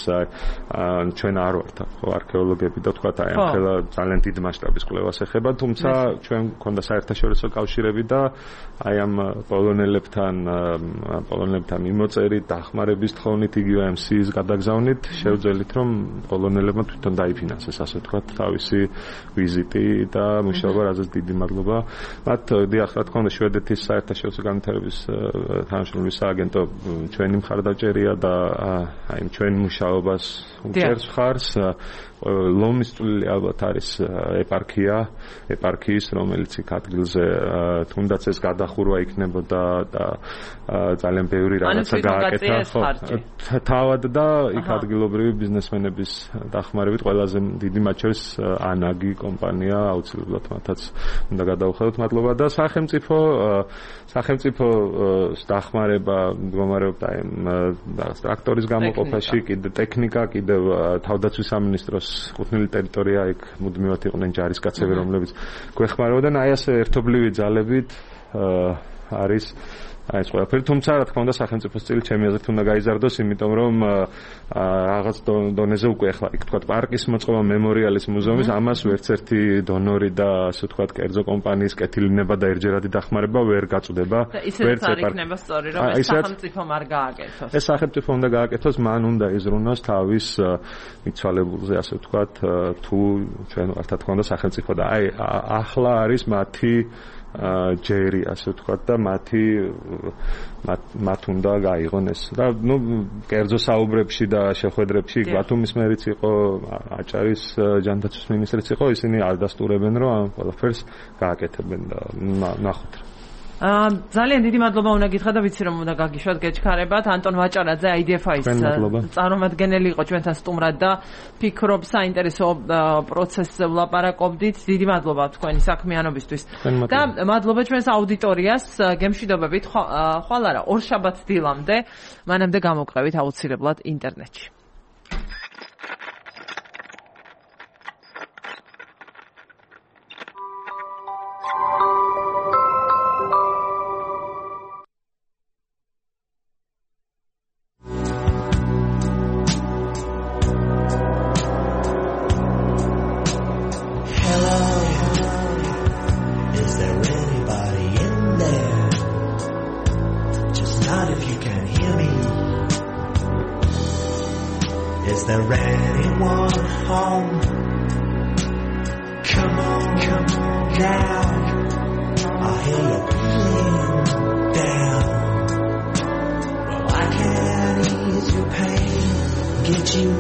ჩვენ არ ვართ ხო არქეოლოგები და თქვა აი ამ ხელა ძალიან დიდ მასშტაბის კვლევას ეხება, თუმცა ჩვენ გვქონდა საერთაშორისო კავშირები და აი ამ პოლონელებთან მიმოწერით, დახმარების თხოვნით, იგივე MC-ის გადაგზავნით, შევძელით რომ პოლონელებმა თვითონ დაიფინანსეს, ასე ვთქვათ, თავისი ვიზიტი და მუშაობა, რაზეც დიდი მადლობა. მათ დიახ, რა თქმა უნდა, შვედეთის საერთაშორისო განვითარების თანამშრომლობის სააგენტო ჩვენი მხარდაჭერია და აი ჩვენ მუშაობას უჭერს მხარს. ლომის წვლილი ალბათ არის ეპარქიის, რომელიც იქ ადგილზე თუნდაც ეს გადახურვა იქნებოდა და ძალიან ბევრი რაღაცა გააკეთა. თავად და იქ ადგილობრივი ბიზნესმენების დახმარებით ყველაზე დიდი მათ შორის ანაგი კომპანია აუცილებლად მათაც უნდა გადავუხადოთ მადლობა და სახელმწიფოს დახმარება მდგომარეობდა ტრაქტორის გამოყოფაში, კიდე ტექნიკა, კიდევ თავდაცვის სამინისტროს კუთვნილი ტერიტორია იქ მუდმივად იყვნენ ჯარისკაცები, რომლებიც გვეხმარებოდნენ. აი ასე ერთობლივი ძალებით არის აი ეს ყველაფერი, თუმცა რა თქმა უნდა სახელმწიფოს წილი ჩემი აზრით უნდა გაიზარდოს, იმიტომ რომ რაღაც დონეზე უკვე ახლა იქ თქვა პარკის მოწყობა, მემორიალის მუზეუმის, ამას ვერცერთი დონორი და ასე ვთქვათ კერძო კომპანიის კეთილინება და ერთჯერადი დახმარება ვერ გაწვდება. ვერც არ იქნება სწორი, რომ ეს სახელმწიფომ არ გააკეთოს. ეს სახელმწიფო უნდა გააკეთოს, მან უნდა იზრუნოს თავის მიცვალებულზე, ასე ვთქვათ, თუ ჩვენ ვართ რა თქმა უნდა სახელმწიფო და აი ახლა არის მათი ჯერი, ასე ვთქვათ და მათ უნდა გაიღონ ეს და კერძო საუბრებში და შეხვედრებში ბათუმის მერიც იყო, აჭარის ჯანდაცვის მინისტრიც იყო, ისინი არ დასტურებენ რომ ამ ყველაფერს გააკეთებენ და ნახოთ. ძალიან დიდი მადლობა უნდა გითხრა და ვიცი რომ უნდა გაგიშვათ გეჩქარებათ. ანტონ ვაჭარაძე IDFI-ის წარმომადგენელი იყო ჩვენთან სტუმრად და ფიქრობ საინტერესო პროცესზე ვლაპარაკობდით. დიდი მადლობა თქვენი საქმიანობისთვის და მადლობა ჩვენს აუდიტორიას. გემშვიდობებით ხვალ არა ორშაბათს დილამდე, მანამდე გამოვყევით აუცილებლად ინტერნეტში. Is there anyone home? Come on now. I hear you feeling down. Well, I can ease your pain, get you